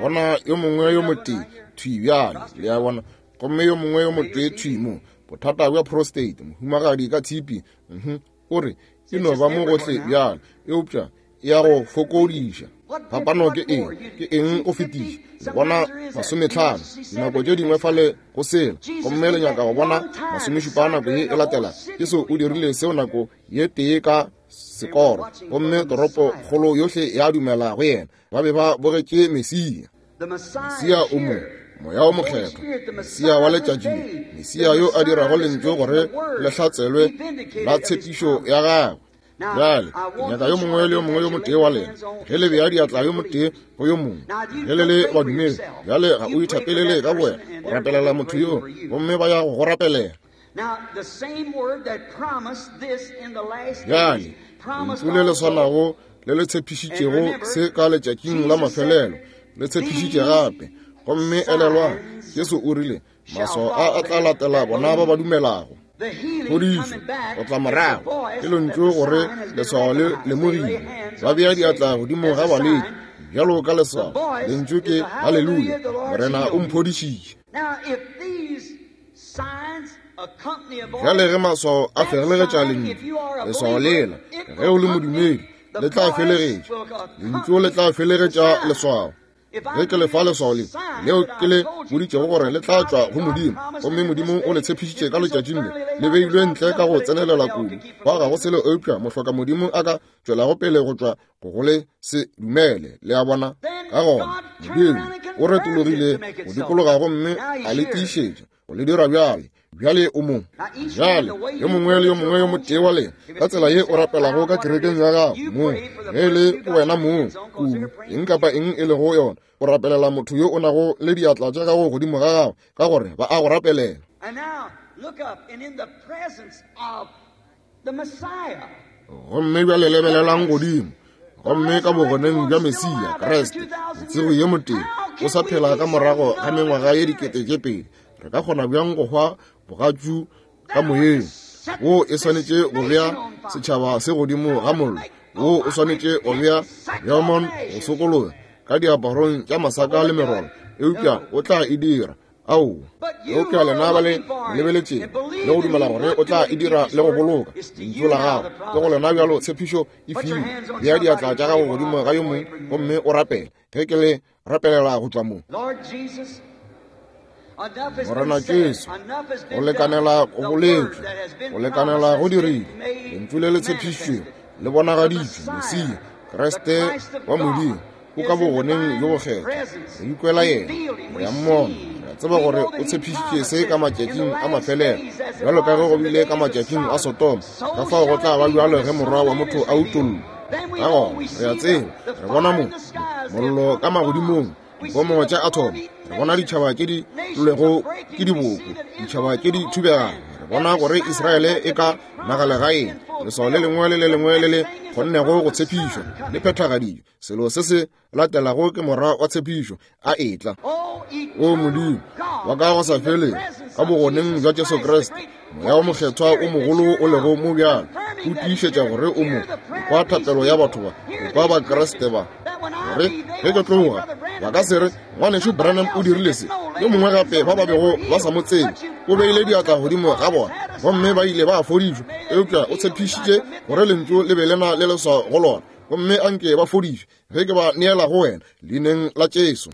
Bona yo mongwe yo motee thwi bjale, le a bona, gomme yo mongwe yo motee thwi mo. Bothata bja prostate, mohumagadi ka tshipi, mhm, o re e no ba mo gohle bjale, eupša ya go fokodiša. Phapano ke eng? Ke eng go fetiša? Le bona masometlhano dinako tše dingwe fale go sela, gomme le nyaka go bona masomešupa nako ye e latela. Jesu o dirile seo nako ye tee ka sekoro, gomme toropokgolo yohle ya dumela go yena. Ba be ba bogetše Mesia. Mesia o mo, Moya o Mokgethwa, Mesia wa letšatši le, Mesia yo a dirago lentšu gore le hlatselwe la tshepišo ya gagwe. Bjale ke nyaka yo mongwe le yo mongwe yo motee wa lena, ge le bea diatla yo motee go yo mongwe, ge le le badumedi, bjale ga o ithapelele ka bowena, o rapelela motho yo, gomme ba ya go go rapelela. Bjale lentšu le le swanago le le tshepišitšego se ka letšatšing la mafelelo, le tshepišitše gape. Gomme elelwang, Jesu o rile, maswao a a tla latela bona ba ba dumelago. Phodišo go tla morago ke lentšu gore leswao le lemogile. Ba bea diatla godimo ga balwetši bjalo ka leswao. Lentšu ke haleluya, Morena o mphodišitše. Bjale ge maswao a felegetša lentšu, leswao lela, ge o le modumedi, le tla felegetša lentšu, le tla felegetša leswao. Ge ke lefa leswao le leo ke le boditšego gore le tla tšwa go Modimo, gomme Modimo o le tshepišitše ka letšatšing le, le beilwe ntle ka go tsenelela kudu, ba ga go selo eupša mohloka Modimo a ka tšwelago pele go tšwa go go le se dumele. Le a bona? Ka gona Modimo o retologile go dikologa gomme a le tiišetša go le dira bjale. Bjale o mo. Bjale yo mongwe le yo mongwe yo motee wa lena, ka tsela ye o rapelago ka kerekeng ya gago mong, ge e le wena mong kudu, eng kapa eng e lego yona, o rapelela motho yo o nago le diatla tša gago godimo ga gago, ka gore ba a go rapelela. Gomme bjale lebelelang godimo, Gomme ka bogoneng bja Mesia, Kriste, motsogi yo motee, o sa phela ka morago ga mengwaga ye dikete tše pedi, re ka kgona bjang go hwa bogatšu ka moyeng? Wo e swanetše go bea setšhaba se godimo ga mollo. Wo o swanetše go bea Beaumont go sokologa ka diaparong tša masaka le merolo, eupša o tla e dira. Ao, eupša lena ba le lebeletšeng le go dumela gore o tla e dira le go boloka lentšu la gago, ke go lena bjalo tshepišo e filwe. Bea diatla tša gago godimo ga yo mongwe gomme o rapele ge ke le rapelela go tšwa mo. Morena Jesu, go lekanela go boletšwe, go lekanela go dirile, lentšu le le tshepišitšwego le bonagaditšwe, Mesia, Kriste wa Modimo, o ka bogoneng bjo bokgethwa. Re ikwela yena, re a mmona, re a tseba gore o tshepišitše se ka matšatšing a mafelelo, bjalo ka ge go bile ka matšatšing a Sodoma, ka fao go tla ba bjalo ge Morwa wa motho a utollwa. Ka gona re a tseba, re bona mo mollo ka magodimong, dipomo tša athomo, re bona ditšhaba tše di tlolwego ke diboko, ditšhaba tše di thubegago, re bona gore Israele e ka nagalegaeng, leswao le lengwe le le lengwe le le kgonnego go tshepišwa le phethagaditšwe. Selo se se latelago ke morwa wa tshepišo a etla. O Modimo wa ka go sa feleng, ka bogoneng bja Jesu Kriste, Moya o Mokgethwa o mogolo o lego mo bjalo, o tiišetša gore o mo kwa thapelo ya batho ba, o kwa Bakriste ba, gore ge ke tloga ba ka se re ngwanešu Branham o dirile se, yo mongwe gape ba ba bego ba sa mo tsebe o beile diatla godimo ga bona gomme ba ile ba fodišwa, eupša o tshepišitše gore lentšu le be le na le leswao go lona, gomme anke ba fodišwe ge ke ba neela go wena leineng la Jesu.